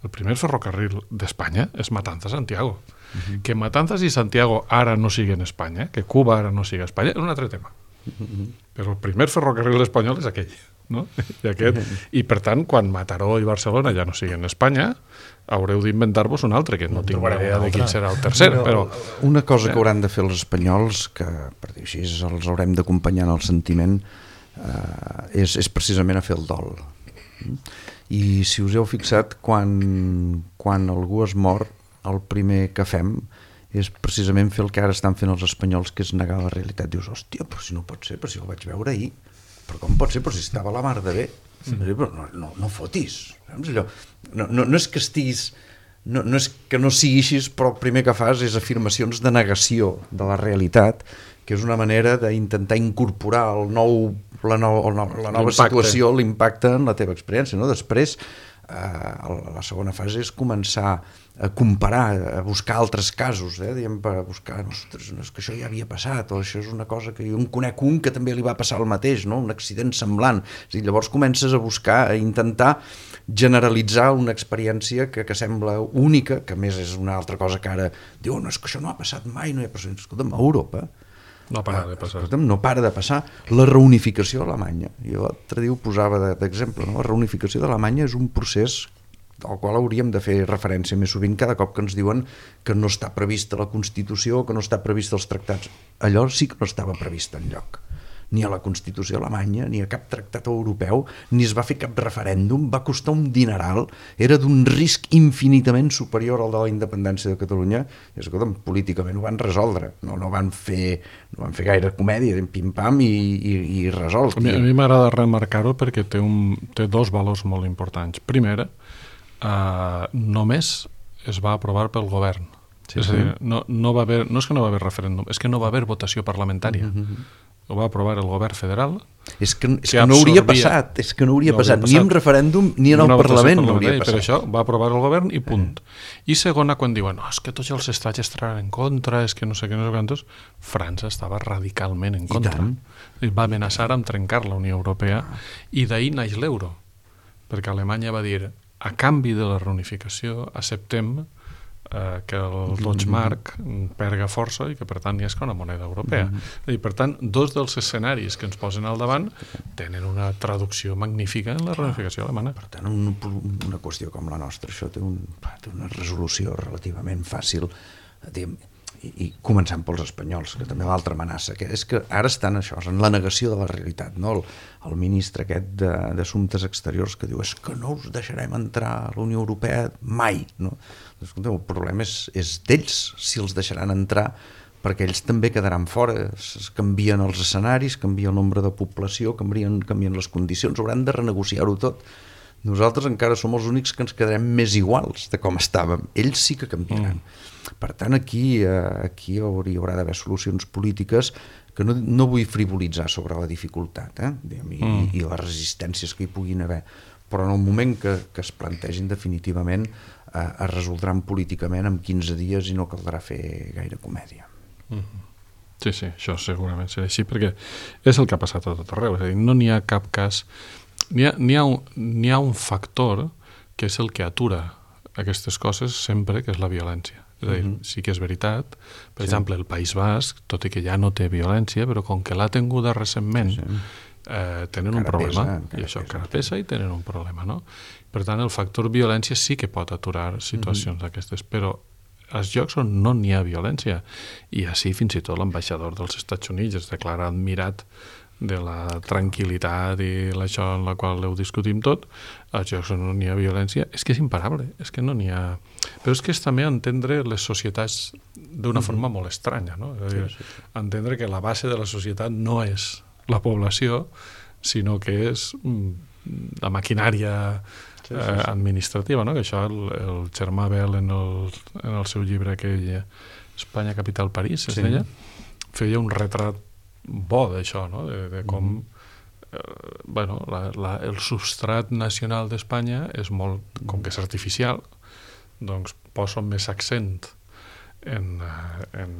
El primer ferrocarril d'Espanya és Matanza-Santiago. Uh-huh. Que Matanzas i Santiago ara no siguin Espanya, que Cuba ara no sigui Espanya, és un altre tema. Uh-huh. Però el primer ferrocarril espanyol és aquell. No? I, aquest, uh-huh. I per tant, quan Mataró i Barcelona ja no siguin Espanya, haureu d'inventar-vos un altre, que no tinc idea de quin serà el tercer. Però, una cosa que hauran de fer els espanyols, que per dir així els haurem d'acompanyar en el sentiment, eh, és, és precisament a fer el dol. I si us heu fixat, quan, quan algú es mor, el primer que fem és precisament fer el que ara estan fent els espanyols, que és negar la realitat. Dius, hòstia, però si no pot ser, però si ho vaig veure ahir, però com pot ser, però si estava a la mar de bé, mm. però no, no, no fotis, saps allò? No, no, no és que estiguis, no, no és que no sigui així, però el primer que fas és afirmacions de negació de la realitat, que és una manera d'intentar incorporar el nou, la, no, la, la nova situació, l'impacte en la teva experiència, no? Després, eh, la segona fase és començar a comparar, a buscar altres casos, eh? Diem, per buscar, ostres, no és que això ja havia passat, o això és una cosa que jo en conec un que també li va passar el mateix, no? Un accident semblant. És a dir, llavors comences a buscar, a intentar generalitzar una experiència que, que sembla única, que a més és una altra cosa que ara diu, no, és que això no ha passat mai, no hi ha passat. Escolta'm, a Europa no para de passar. Escolta'm, no para de passar. La reunificació d'Alemanya, jo l'altre dia ho posava d'exemple, no? La reunificació d'Alemanya és un procés al qual hauríem de fer referència més sovint cada cop que ens diuen que no està prevista la Constitució, que no està prevista els tractats. Allò sí que no estava previst enlloc. Ni a la Constitució alemanya, ni a cap tractat europeu, ni es va fer cap referèndum, va costar un dineral, era d'un risc infinitament superior al de la independència de Catalunya, i escolta'm, políticament ho van resoldre, no, no, van, fer, no van fer gaire comèdia, pim-pam i, i, i resolt. A mi, a mi m'agrada remarcar-ho perquè té, un, té dos valors molt importants. Primer, Uh, només es va aprovar pel govern. Sí, és a dir, no, no, va haver, no és que no va haver referèndum, és que no va haver votació parlamentària. Mm-hmm. Ho va aprovar el govern federal. És que, és que, que no hauria passat, és que no hauria no passat ni en referèndum ni en el Parlament no hauria passat. Per això va aprovar el govern i punt. Eh. I segona, quan diuen, no, és que tots els estats estaran en contra, és que no sé què, no sé quantos, França estava radicalment en contra. I va amenaçar amb trencar la Unió Europea i d'ahir naix l'euro, perquè Alemanya va dir, a canvi de la reunificació acceptem eh, que el Deutschmark perga força i que per tant hi ha una moneda europea. Mm-hmm. I per tant, dos dels escenaris que ens posen al davant tenen una traducció magnífica en la reunificació alemana. Per tant, un, una qüestió com la nostra, això té, un, té una resolució relativament fàcil, diguem, i, i començant pels espanyols, que també l'altra amenaça, que és que ara estan això, en la negació de la realitat, no? El, el ministre aquest d'Assumptes Exteriors que diu, és que no us deixarem entrar a la Unió Europea mai, no? Escolta, el problema és, és d'ells, si els deixaran entrar, perquè ells també quedaran fora, es canvien els escenaris, canvia el nombre de població, canvien, canvien les condicions, hauran de renegociar-ho tot. Nosaltres encara som els únics que ens quedarem més iguals de com estàvem. Ells sí que canviaran. Mm. Per tant, aquí, aquí hauria, haurà d'haver solucions polítiques que no, no vull frivolitzar sobre la dificultat, eh? I, mm. i les resistències que hi puguin haver. Però en el moment que, que es plantegin definitivament eh, es resoldran políticament en quinze dies i no caldrà fer gaire comèdia. Mm. Sí, sí, això segurament serà així, perquè és el que ha passat a tot arreu. És a dir, no n'hi ha cap cas... N'hi ha, n'hi ha, un, n'hi ha un factor que és el que atura aquestes coses sempre, que és la violència. És a dir, mm-hmm. sí que és veritat. Per sí. exemple, el País Basc, tot i que ja no té violència, però com que l'ha tinguda recentment, sí. eh, tenen encara un problema. Pesa, I això encara pesa i tenen un problema, no? Per tant, el factor violència sí que pot aturar situacions mm-hmm. d'aquestes, però als llocs on no n'hi ha violència, i així fins i tot l'ambaixador dels Estats Units es declara admirat de la tranquil·litat i això en la qual ho discutim tot, als llocs on no n'hi ha violència, és que és imparable, és que no n'hi ha... Però és que és també entendre les societats d'una mm-hmm. forma molt estranya, no? És a dir, sí, sí, sí. Entendre que la base de la societat no és la població, sinó que és la maquinària sí, sí, sí. Eh, administrativa, no? Que això el, el Germà Bel en el, en el seu llibre aquell Espanya capital París, es sí. deia, feia un retrat bo d'això, no? De, de com mm. eh, bueno, la, la, el substrat nacional d'Espanya és molt, com que és artificial, doncs posa més accent en, en,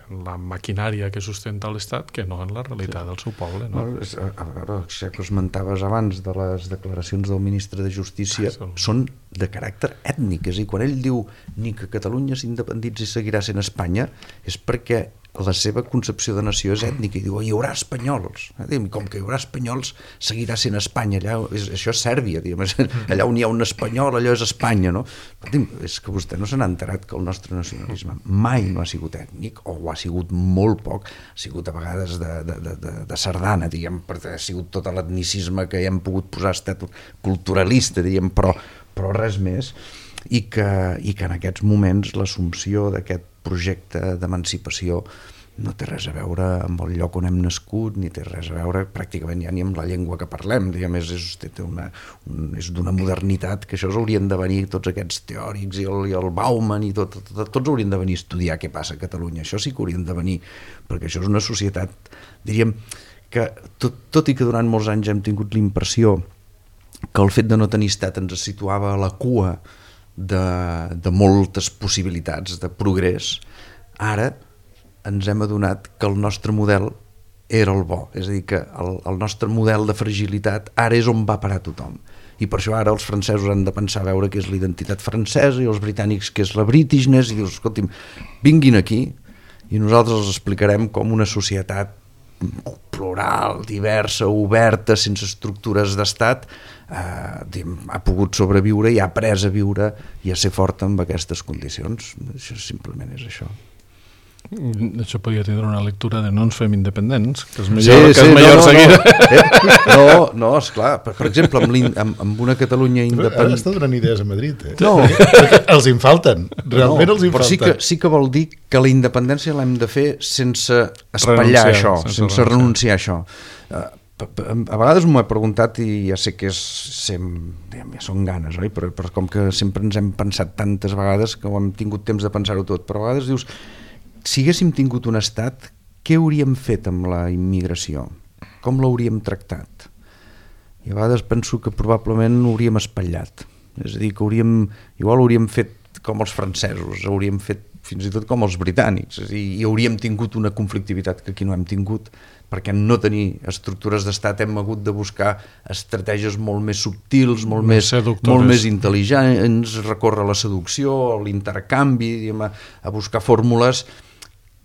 en la maquinària que sustenta l'Estat que no en la realitat sí. del seu poble. No? Bueno, és, a, a veure, ja que esmentaves abans de les declaracions del ministre de Justícia, ah, són de caràcter ètnic, és a dir, quan ell diu ni que Catalunya s'independitzi i seguirà sent Espanya, és perquè la seva concepció de nació és ètnica i diu, hi haurà espanyols, com que hi haurà espanyols seguirà sent Espanya, allà, és, això és Sèrbia, diguem, allà on hi ha un espanyol allò és Espanya, no? Però, és que vostè no se n'ha enterat que el nostre nacionalisme mai no ha sigut ètnic, o ho ha sigut molt poc, ha sigut a vegades de, de, de, de, de sardana, diguem, perquè ha sigut tot l'etnicisme que hi hem pogut posar estat culturalista, diguem, però, però res més, i que, i que en aquests moments l'assumpció d'aquest projecte d'emancipació no té res a veure amb el lloc on hem nascut, ni té res a veure pràcticament ja ni amb la llengua que parlem, diguem, és, és, una, un, és d'una modernitat que això haurien de venir tots aquests teòrics i el, i el Bauman i tot, tot, tots haurien de venir a estudiar què passa a Catalunya, això sí que haurien de venir, perquè això és una societat, diríem, que tot, tot i que durant molts anys hem tingut l'impressió que el fet de no tenir estat ens situava a la cua de, de moltes possibilitats de progrés, ara ens hem adonat que el nostre model era el bo, és a dir, que el, el nostre model de fragilitat ara és on va parar tothom, i per això ara els francesos han de pensar a veure què és l'identitat francesa i els britànics què és la Britishness, i dius, escolti'm, vinguin aquí i nosaltres els explicarem com una societat plural, diversa, oberta, sense estructures d'estat, eh, ha pogut sobreviure i ha après a viure i a ser forta amb aquestes condicions. Això simplement és això. Això podria tenir una lectura de no ens fem independents, que és millor, sí, que és sí, millor no, seguir. No, no, no esclar, per, per exemple, amb, amb, amb una Catalunya independent... Ara està donant idees a Madrid, eh? No. Els en falten, realment no, els en però falten. Sí que, sí que vol dir que la independència l'hem de fer sense espatllar renunciar, això, sense, sense renunciar a això. A vegades m'ho he preguntat i ja sé que és, sem, ja són ganes, oi? Però, però com que sempre ens hem pensat tantes vegades que ho hem tingut temps de pensar-ho tot, però a vegades dius, si haguéssim tingut un estat, què hauríem fet amb la immigració? Com l'hauríem tractat? I a vegades penso que probablement hauríem espatllat, és a dir, que hauríem, igual hauríem fet com els francesos, hauríem fet fins i tot com els britànics, és a dir, i hauríem tingut una conflictivitat que aquí no hem tingut, perquè en no tenir estructures d'estat hem hagut de buscar estratègies molt més subtils, molt més, molt més intel·ligents, recórrer a la seducció, a l'intercanvi, diguem, a, a buscar fórmules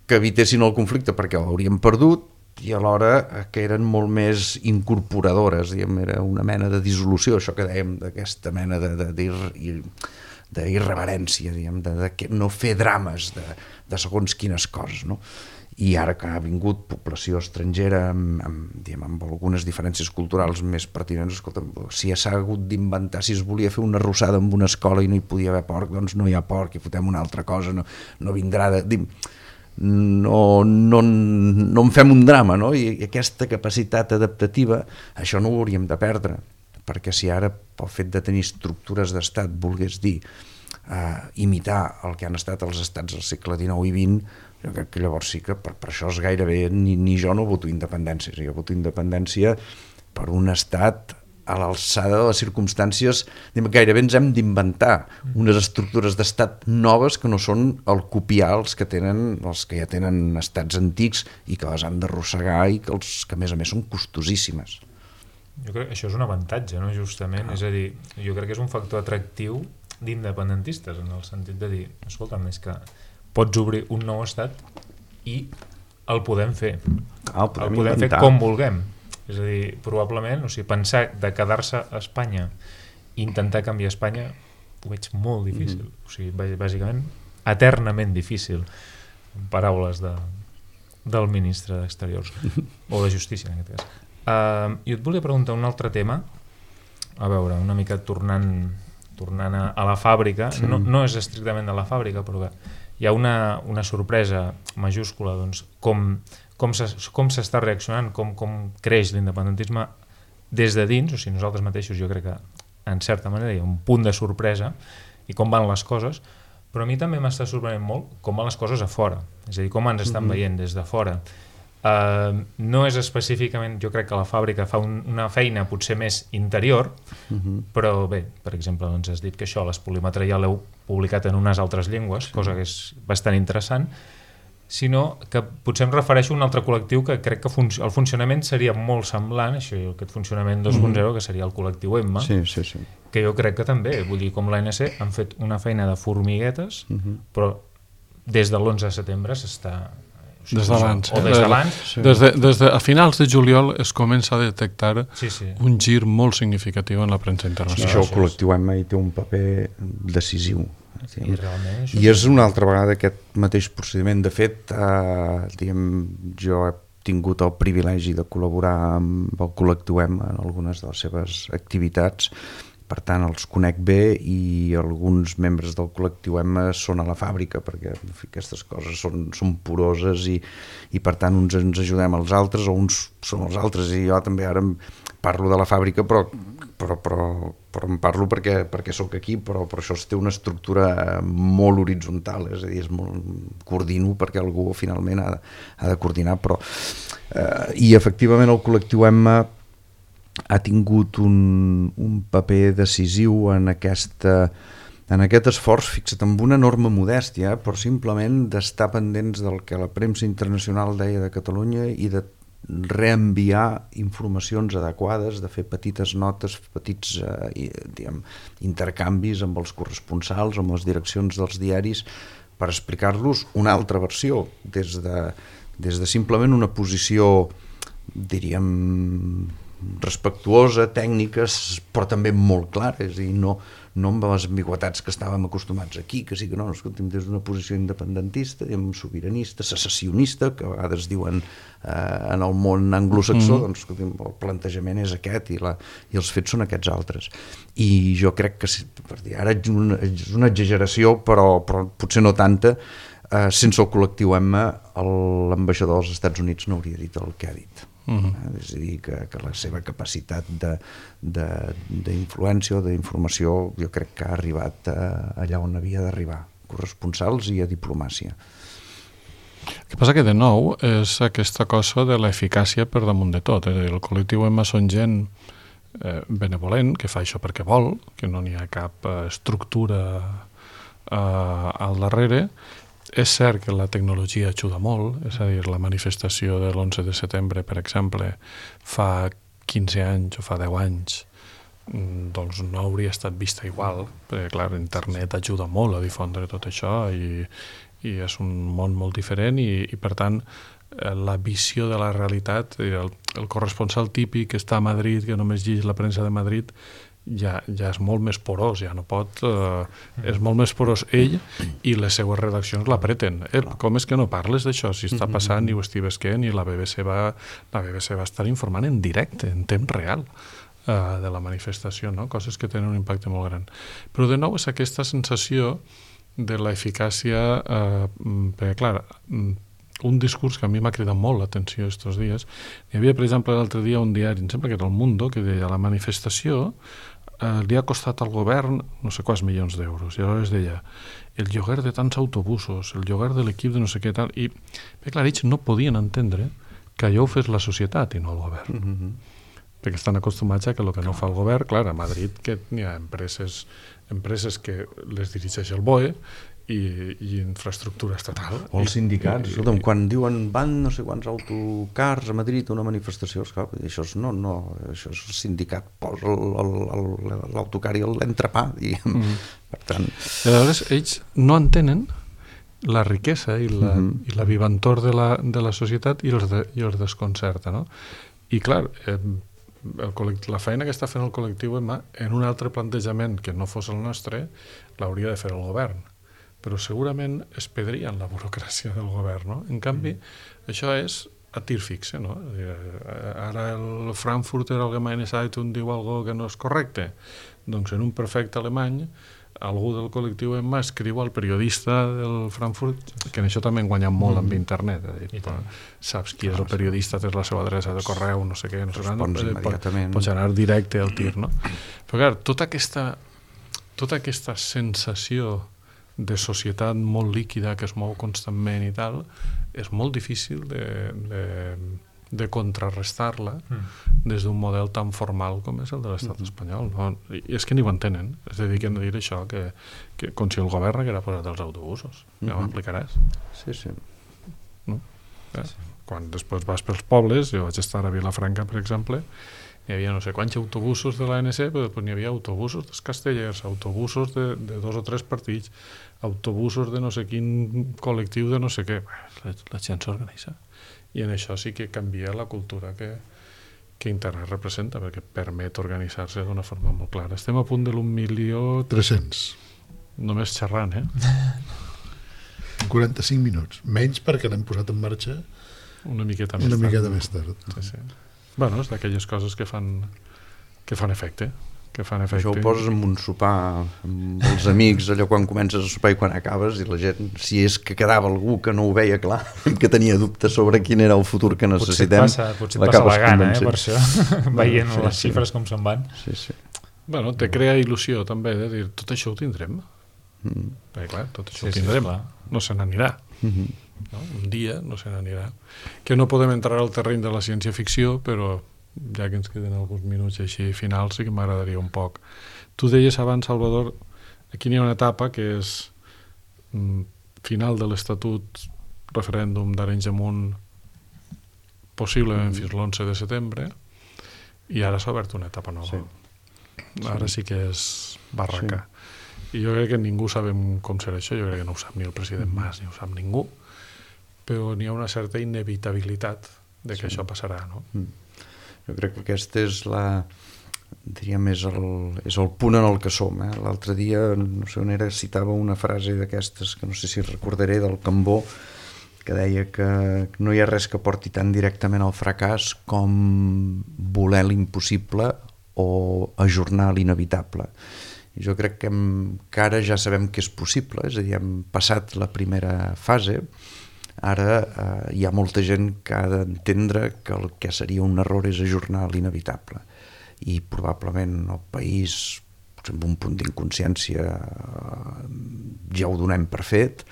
que evitessin el conflicte, perquè l'hauríem perdut, i alhora que eren molt més incorporadores, diguem, era una mena de dissolució, això que dèiem, d'aquesta mena de, de, de, d'irreverència, diguem, de, de no fer drames de, de segons quines coses, no? I ara que ha vingut població estrangera amb, amb, diguem, amb algunes diferències culturals més pertinents, escolta, si s'ha hagut d'inventar, si es volia fer una arrossada en una escola i no hi podia haver porc, doncs no hi ha porc i fotem una altra cosa, no, no vindrà de... Dim, no, no, no en fem un drama, no? I aquesta capacitat adaptativa, això no ho hauríem de perdre, perquè si ara pel fet de tenir estructures d'estat volgués dir eh, imitar el que han estat els estats del segle dinou i vint, jo crec que llavors sí que per, per això és gairebé, ni, ni jo no voto independència, jo voto independència per un estat a l'alçada de les circumstàncies, gairebé ens hem d'inventar unes estructures d'estat noves que no són el copiar els que tenen, els que ja tenen estats antics i que les han d'arrossegar i que, els, que a més a més són costosíssimes. Jo crec que això és un avantatge, no? Justament, ah. És a dir, jo crec que és un factor atractiu d'independentistes, en el sentit de dir, escolta'm, és que pots obrir un nou estat i el podem fer. Ah, el podem, el podem fer com vulguem. És a dir, probablement, o sigui, pensar de quedar-se a Espanya i intentar canviar Espanya ho veig molt difícil. Mm. O sigui, bàsicament, eternament difícil. En paraules de, del ministre d'Exteriors, o de Justícia en aquest cas. Uh, jo et volia preguntar un altre tema, a veure, una mica tornant, tornant a, a la fàbrica, sí. no, no és estrictament de la fàbrica, però que hi ha una, una sorpresa majúscula, doncs, com, com s'està reaccionant, com, com creix l'independentisme des de dins, o sigui, nosaltres mateixos jo crec que en certa manera hi ha un punt de sorpresa i com van les coses, però a mi també m'està sorprenent molt com van les coses a fora, és a dir, com ens estan mm-hmm. veient des de fora. Uh, no és específicament, jo crec que la fàbrica fa un, una feina potser més interior, mm-hmm. però bé, per exemple, doncs has dit que això, l'espolímetre ja l'heu publicat en unes altres llengües, sí. cosa que és bastant interessant, sinó que potser em refereixo a un altre col·lectiu que crec que fun el funcionament seria molt semblant, això, aquest funcionament dos punt zero, mm-hmm. que seria el col·lectiu Emma, sí, sí, sí. que jo crec que també, vull dir, com l'A N C, han fet una feina de formiguetes, mm-hmm. però des de l'onze de setembre s'està... Des d'abans. O des d'abans. Sí. Des de, des de, a finals de juliol es comença a detectar sí, sí. un gir molt significatiu en la premsa internacional. I això el col·lectiu Emma hi té un paper decisiu. Sí, I, realment, I és una altra vegada aquest mateix procediment. De fet, eh, diguem, jo he tingut el privilegi de col·laborar amb el col·lectiu Emma en algunes de les seves activitats, per tant els conec bé, i alguns membres del col·lectiu Emma són a la fàbrica, perquè en fi, aquestes coses són, són poroses i, i per tant uns ens ajudem als altres o uns són els altres, i jo també ara parlo de la fàbrica, però, però, però, però em parlo perquè, perquè sóc aquí, però, però això té una estructura molt horitzontal, és a dir, és molt, coordino perquè algú finalment ha, ha de coordinar, però eh, i efectivament el col·lectiu Emma ha tingut un, un paper decisiu en, aquesta, en aquest esforç, fixa't, amb una enorme modèstia, però simplement d'estar pendents del que la premsa internacional deia de Catalunya i de reenviar informacions adequades, de fer petites notes, petits eh, diguem, intercanvis amb els corresponsals, amb les direccions dels diaris, per explicar-los una altra versió, des de, des de simplement una posició, diríem, respectuosa, tècniques, però també molt clares, i no, no amb les ambigüetats que estàvem acostumats aquí, que sí que no, escolta'm, des d'una posició independentista, sobiranista, secessionista, que a vegades diuen eh, en el món anglosaxó, mm. doncs escolta'm, el plantejament és aquest i, la, i els fets són aquests altres. I jo crec que, per dir, ara és una, és una exageració, però, però potser no tanta, eh, sense el col·lectiu Emma, l'ambaixador dels Estats Units no hauria dit el que ha dit. Uh-huh. És a dir, que, que la seva capacitat d'influència o d'informació jo crec que ha arribat a, allà on havia d'arribar, corresponsals i a diplomàcia. El que passa que de nou és aquesta cosa de l'eficàcia per damunt de tot, és a dir, el col·lectiu Emma són gent eh, benevolent, que fa això perquè vol, que no n'hi ha cap eh, estructura eh, al darrere. És cert que la tecnologia ajuda molt, és a dir, la manifestació de l'onze de setembre, per exemple, fa quinze anys o fa deu anys, doncs no hauria estat vista igual, perquè, clar, internet ajuda molt a difondre tot això i, i és un món molt diferent i, i per tant, la visió de la realitat, el, el corresponsal típic que està a Madrid, que només llegeix la premsa de Madrid, ja, ja és molt més porós, ja no pot, eh, és molt més porós ell i les seues redaccions l'apreten. Eh, com és que no parles d'això? Si està passant i ho estic vesquent i la B B C va, la B B C va estar informant en directe, en temps real, eh, de la manifestació, no? Coses que tenen un impacte molt gran. Però de nou és aquesta sensació de l'eficàcia, eh, perquè clar, un discurs que a mi m'ha cridat molt l'atenció aquests dies. Hi havia, per exemple, l'altre dia un diari, em sembla que era El Mundo, que deia la manifestació eh, li ha costat al govern no sé quants milions d'euros. I aleshores deia el lloguer de tants autobusos, el lloguer de l'equip de no sé què tal. I, bé, clar, ells no podien entendre que allò ho fes la societat i no el govern. Mm-hmm. Perquè estan acostumats a que el que no fa el govern, clar, a Madrid que hi ha empreses, empreses que les dirigeix el B O E, I, i infraestructura estatal. O els sindicats, escolta'm, quan diuen van no sé quants autocars a Madrid a una manifestació, esclar, això és, no, no, això és el sindicat, posa l'autocar i l'entrepà, diguem. Mm. Per tant... I aleshores ells no entenen la riquesa i la, mm-hmm. i la vivantor de la, de la societat i els, de, i els desconcerta, no? I clar, eh, el la feina que està fent el col·lectiu Emma, en un altre plantejament que no fos el nostre, l'hauria de fer el govern. però segurament es pedrien la burocràcia del govern, no? En canvi, mm. això és a tir fixe, no? Ara el Frankfurter Allgemeine Zeitung diu algo que no és correcte, doncs en un perfecte alemany algú del col·lectiu Emma escriu al periodista del Frankfurt, que en això també han guanyat molt amb internet, dir, però, saps qui és el periodista, tens la seva adreça de correu, no sé què, no sé què, pots anar directe al tir, no? Però clar, tota aquesta tota aquesta sensació de societat molt líquida que es mou constantment i tal, és molt difícil de, de, de contrarrestar-la mm. des d'un model tan formal com és el de l'estat mm. espanyol. No? I és que ni ho entenen. Es dediquen a dir això, que, que com si el govern haguera posat els autobusos. Mm-hmm. Ja m'explicaràs. Sí, sí. No? Eh? Sí. Quan després vas pels pobles, jo vaig estar a Vilafranca, per exemple, hi havia no sé quants autobusos de l'A N C, però després n'hi havia autobusos dels castellers, autobusos de, de dos o tres partits, autobusos de no sé quin col·lectiu de no sé què. La, la gent s'organitza. I en això sí que canvia la cultura que, que internet representa, perquè permet organitzar-se d'una forma molt clara. Estem a punt de l'un milió... tres-cents. Només xerrant, eh? quaranta-cinc minuts. Menys perquè l'hem posat en marxa una miqueta més una tard. miqueta més tard. Sí, sí. Bueno, és d'aquelles coses que fan, que fan efecte. Que fan efecte. Això ho poses en un sopar amb els amics, allò quan comences a sopar i quan acabes, i la gent, si és que quedava algú que no ho veia clar, que tenia dubtes sobre quin era el futur que necessitem, potser et passa, potser et passa la gana, eh, per això, veient sí, les xifres sí. com se'n van. Sí, sí. Bueno, te crea il·lusió també de dir, tot això ho tindrem. Mm. Perquè clar, tot això sí, ho tindrem, sí, no se n'anirà. Mm-hmm. No? Un dia no se n'anirà. Que no podem entrar al terreny de la ciència-ficció, però ja que ens queden alguns minuts així finals, sí que m'agradaria un poc. Tu deies abans, Salvador, aquí n'hi ha una etapa que és mm, final de l'Estatut, referèndum d'Arenys de Munt, possiblement mm. fins l'onze de setembre, i ara s'ha obert una etapa nova. Sí. Ara sí que és barraca. Sí. I jo crec que ningú sabem com serà això, jo crec que no ho sap ni el president mm. Mas, ni ho sap ningú, però n'hi ha una certa inevitabilitat de que sí. això passarà, no? Mm. Jo crec que aquest és la, diríem, és el, és el punt en el que som. Eh? L'altre dia, no sé on era, citava una frase d'aquestes, que no sé si recordaré, del Cambó, que deia que no hi ha res que porti tan directament al fracàs com voler l'impossible o ajornar l'inevitable. I jo crec que, hem, que ara ja sabem que és possible, és a dir, hem passat la primera fase. Ara eh, hi ha molta gent que ha d'entendre que el que seria un error és ajornar l'inevitable, i probablement el país, amb un punt d'inconsciència, eh, ja ho donem per fet,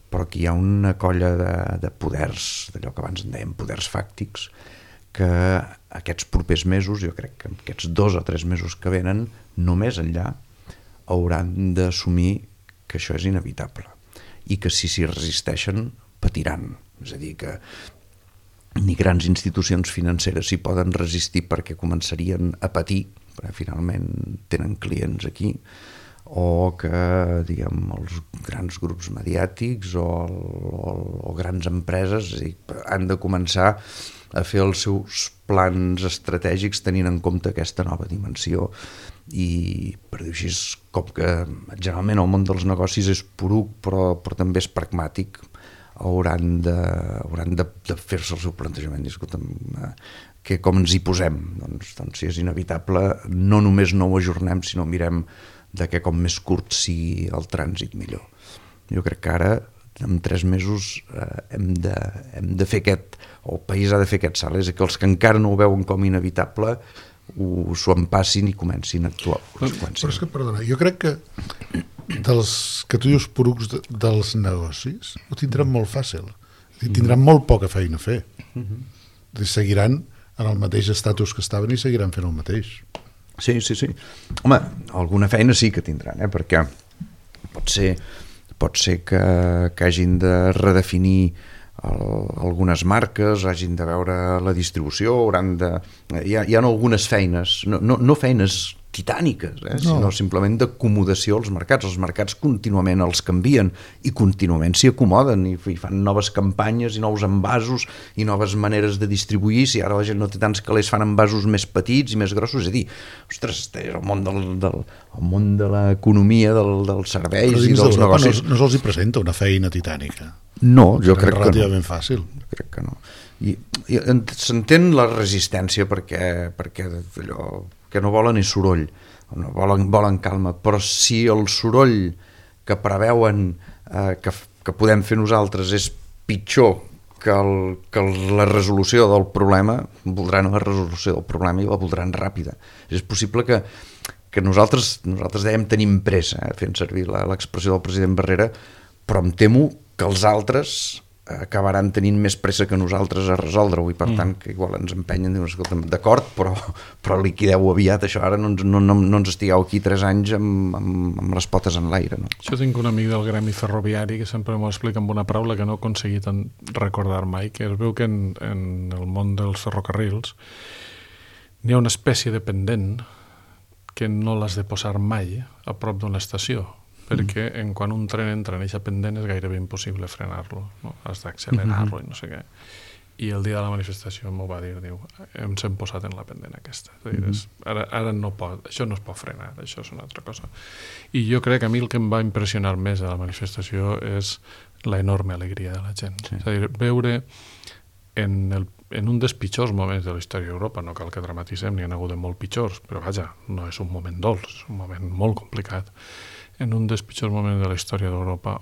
però que hi ha una colla de, de poders, d'allò que abans en dèiem poders fàctics, que aquests propers mesos, jo crec que aquests dos o tres mesos que venen, només enllà hauran d'assumir que això és inevitable i que si s'hi resisteixen patiran, és a dir, que ni grans institucions financeres s'hi poden resistir perquè començarien a patir, perquè finalment tenen clients aquí, o que, diguem, els grans grups mediàtics o, o, o grans empreses, és a dir, han de començar a fer els seus plans estratègics tenint en compte aquesta nova dimensió. I, per dir així, com que generalment el món dels negocis és poruc, però, però també és pragmàtic, hauran de, hauran de, de fer-se el seu plantejament. Escolta'm, eh, que com ens hi posem? Doncs, doncs si és inevitable, no només no ho ajornem, sinó mirem de que com més curt sigui el trànsit millor. Jo crec que ara, en tres mesos, eh, hem, de, hem de fer aquest, o el país ha de fer aquest salt, és que els que encara no ho veuen com inevitable ho s'ho empassin i comencin a actuar. Però, però és que, perdona, jo crec que dels que tu dius porucs de, dels negocis ho tindran molt fàcil, tindran molt poca feina a fer. Uh-huh. Seguiran en el mateix estatus que estaven i seguiran fent el mateix. Sí, sí, sí. Home, alguna feina sí que tindran, eh? Perquè pot ser, pot ser que, que hagin de redefinir el, algunes marques, hagin de veure la distribució, hauran de... Hi ha, hi ha algunes feines, no, no, no feines titàniques, eh? no. sinó simplement d'acomodació als mercats. Els mercats contínuament els canvien i contínuament s'hi acomoden i, i fan noves campanyes i nous envasos i noves maneres de distribuir. Si ara la gent no té tants calés, fan envasos més petits i més grossos. És a dir, ostres, és el món, del, del, el món de l'economia, del, dels serveis i dels negocis. No, no se'ls hi presenta una feina titànica. No, jo crec que no. Relativament fàcil. Jo crec que no. I, i s'entén la resistència perquè, perquè allò que no volen és soroll, no volen, volen calma, però si el soroll que preveuen eh, que, que podem fer nosaltres és pitjor que, el, que la resolució del problema, voldran la resolució del problema i la voldran ràpida. És possible que, que nosaltres, nosaltres dèiem tenim pressa, eh, fent servir l'expressió del president Barrera, però em temo que els altres acabaran tenint més pressa que nosaltres a resoldre-ho i per mm. tant que igual ens empenyen, diuen, escolta'm, d'acord, però, però liquideu-ho aviat, això ara no ens, no, no, no ens estigueu aquí tres anys amb, amb, amb les potes en l'aire. No? Jo tinc un amic del gremi ferroviari que sempre m'ho explica amb una paraula que no he aconseguit recordar mai, que es veu que en, en el món dels ferrocarrils n'hi ha una espècie de pendent que no l'has de posar mai a prop d'una estació, perquè en quan un tren entra en aquesta pendent és gairebé impossible frenar-lo, no? Has d'accelerar-lo i no sé què. I el dia de la manifestació m'ho va dir, diu, ens hem posat en la pendent aquesta. És a dir, és, ara, ara no pot, això no es pot frenar, això és una altra cosa. I jo crec que a mi el que em va impressionar més de la manifestació és la enorme alegria de la gent. Sí. És a dir, veure en, el, en un dels pitjors moments de la història d'Europa, no cal que dramatitzem, n'hi ha hagut de molt pitjors, però vaja, no és un moment dolç, és un moment molt complicat. En un dels pitjors moments de la història d'Europa,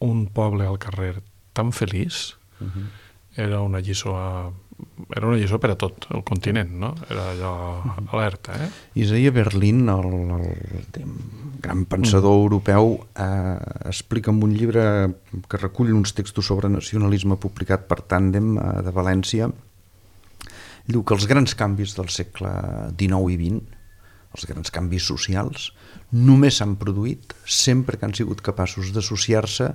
un poble al carrer tan feliç, uh-huh. era una lliçó a, era una lliçó per a tot el continent, no? Era allò uh-huh. alerta, eh? Isaiah Berlin, el, el, el gran pensador uh-huh. europeu, eh, explica en un llibre que recull uns textos sobre nacionalisme publicat per Tàndem eh, de València. Diu que els grans canvis del segle dinou i vint, els grans canvis socials, només s'han produït sempre que han sigut capaços d'associar-se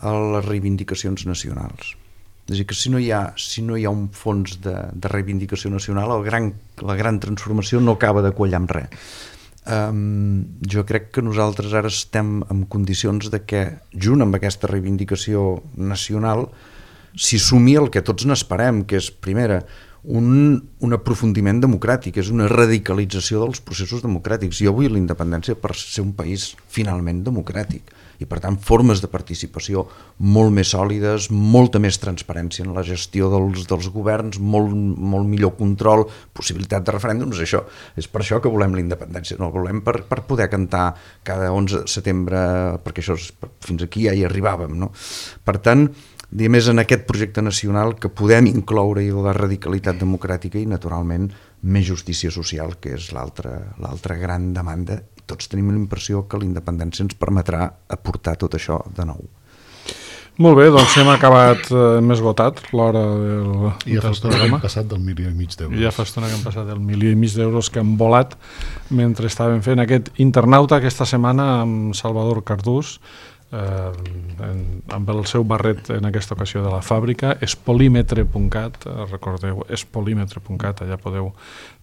a les reivindicacions nacionals. És a dir, que si no hi ha, si no hi ha un fons de, de reivindicació nacional, el gran, la gran transformació no acaba de quallar amb res. Um, jo crec que nosaltres ara estem en condicions de que, junt amb aquesta reivindicació nacional, s'hi sumi el que tots n'esperem, que és, primera, Un, un aprofundiment democràtic, és una radicalització dels processos democràtics. Jo vull la independència per ser un país finalment democràtic i per tant formes de participació molt més sòlides, molta més transparència en la gestió dels, dels governs, molt, molt millor control, possibilitat de referèndums. Això és per això que volem la independència, no volem per, per poder cantar cada onze de setembre, perquè això és, fins aquí ja hi arribàvem, no? Per tant, i més en aquest projecte nacional que podem incloure la radicalitat democràtica i naturalment més justícia social, que és l'altra l'altra gran demanda. Tots tenim la impressió que la independència ens permetrà aportar tot això de nou. Molt bé, doncs hem acabat, hem esgotat l'hora del, I ja fa estona que hem passat del milió i mig d'euros. I ja fa estona que hem passat del milió i mig d'euros que han volat mentre estàvem fent aquest internauta aquesta setmana amb Salvador Cardús, Eh, en, amb el seu barret en aquesta ocasió de la fàbrica, espolimetre punt cat, eh, recordeu, espolimetre punt cat, allà podeu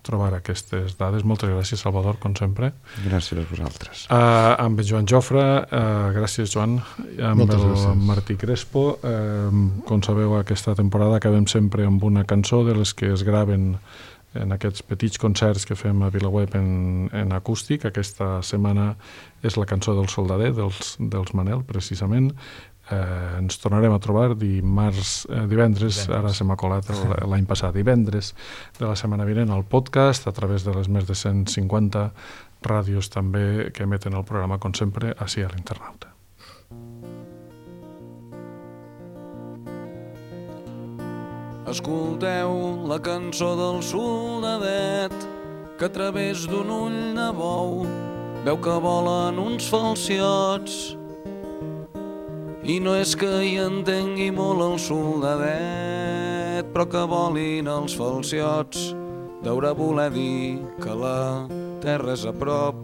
trobar aquestes dades. Moltes gràcies, Salvador, com sempre. Gràcies a vosaltres. Eh, amb en Joan Jofre, eh, gràcies, Joan, amb Moltes el gràcies. Martí Crespo. Eh, com sabeu, aquesta temporada acabem sempre amb una cançó de les que es graven en aquests petits concerts que fem a VilaWeb en, en acústic. Aquesta setmana és la cançó del Soldader, dels, dels Manel, precisament. Eh, ens tornarem a trobar dimarts, eh, divendres, divendres, ara se m'ha colat l'any passat, divendres de la setmana vinent al podcast, a través de les més de cent cinquanta ràdios també que emeten el programa, com sempre, ací a l'Internauta. Escolteu la cançó del soldadet que a través d'un ull de bou veu que volen uns falciots i no és que hi entengui molt el soldadet, però que volin els falciots deurà voler dir que la terra és a prop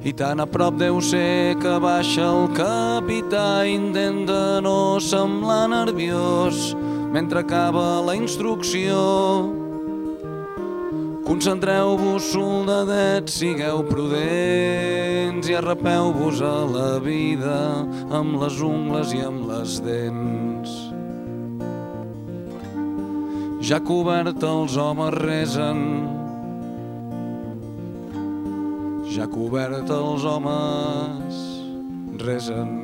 i tan a prop deu ser que baixa el capità i intenta no semblar nerviós mentre acaba la instrucció. Concentreu-vos, soldadets, sigueu prudents i arrapeu-vos a la vida amb les ungles i amb les dents. Ja cobert els homes resen, ja cobert els homes resen.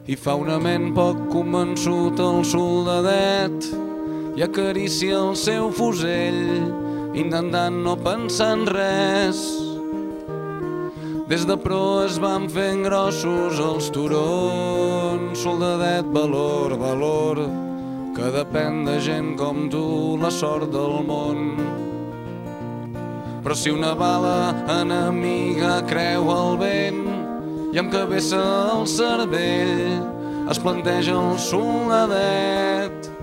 I fa una ment poc convençut el soldadet i acaricia el seu fusell, intentant no pensar en res. Des de proa es van fent grossos els turons. Soldadet, valor, valor, que depèn de gent com tu la sort del món. Però si una bala enemiga creu el vent i amb cabeza al cervell es planteja el soldadet,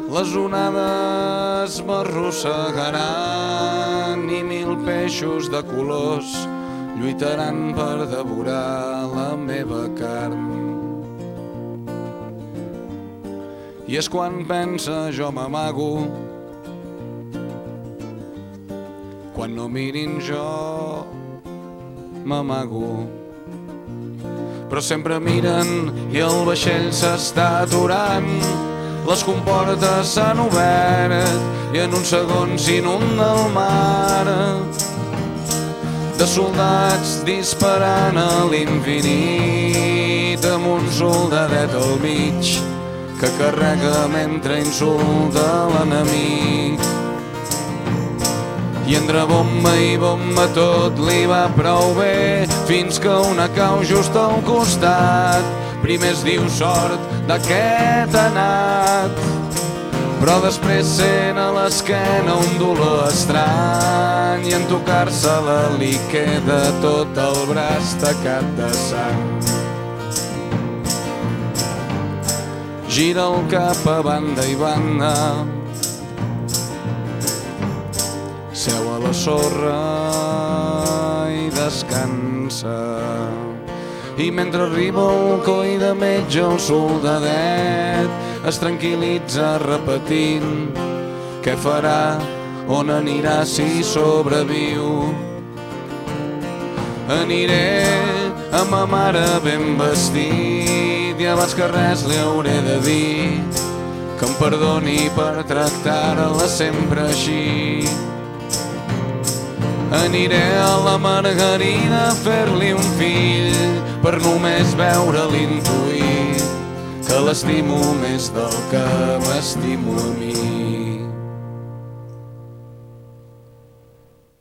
les onades m'arrossegaran i mil peixos de colors lluitaran per devorar la meva carn. I és quan pensa jo m'amago, quan no mirin jo m'amago. Però sempre miren i el vaixell s'està aturant, les comportes s'han obert i en un segon s'inunda el mar de soldats disparant a l'infinit amb un soldadet al mig que carrega mentre insulta l'enemic. I entre bomba i bomba tot li va prou bé fins que una cau just al costat. Primer es diu sort d'aquest anat, però després sent a l'esquena un dolor estrany i en tocar-se-la li queda tot el braç tacat de sang. Gira el cap a banda i banda, seu a la sorra i descansa. I mentre arriba el coi de metge, el soldadet es tranquil·litza repetint què farà, on anirà si sobreviu. Aniré amb ma mare ben vestit i abans que res li hauré de dir que em perdoni per tractar-la sempre així. Aniré a la Margarida a fer-li un fill per només veure-li intuir que l'estimo més del que m'estimo a mi.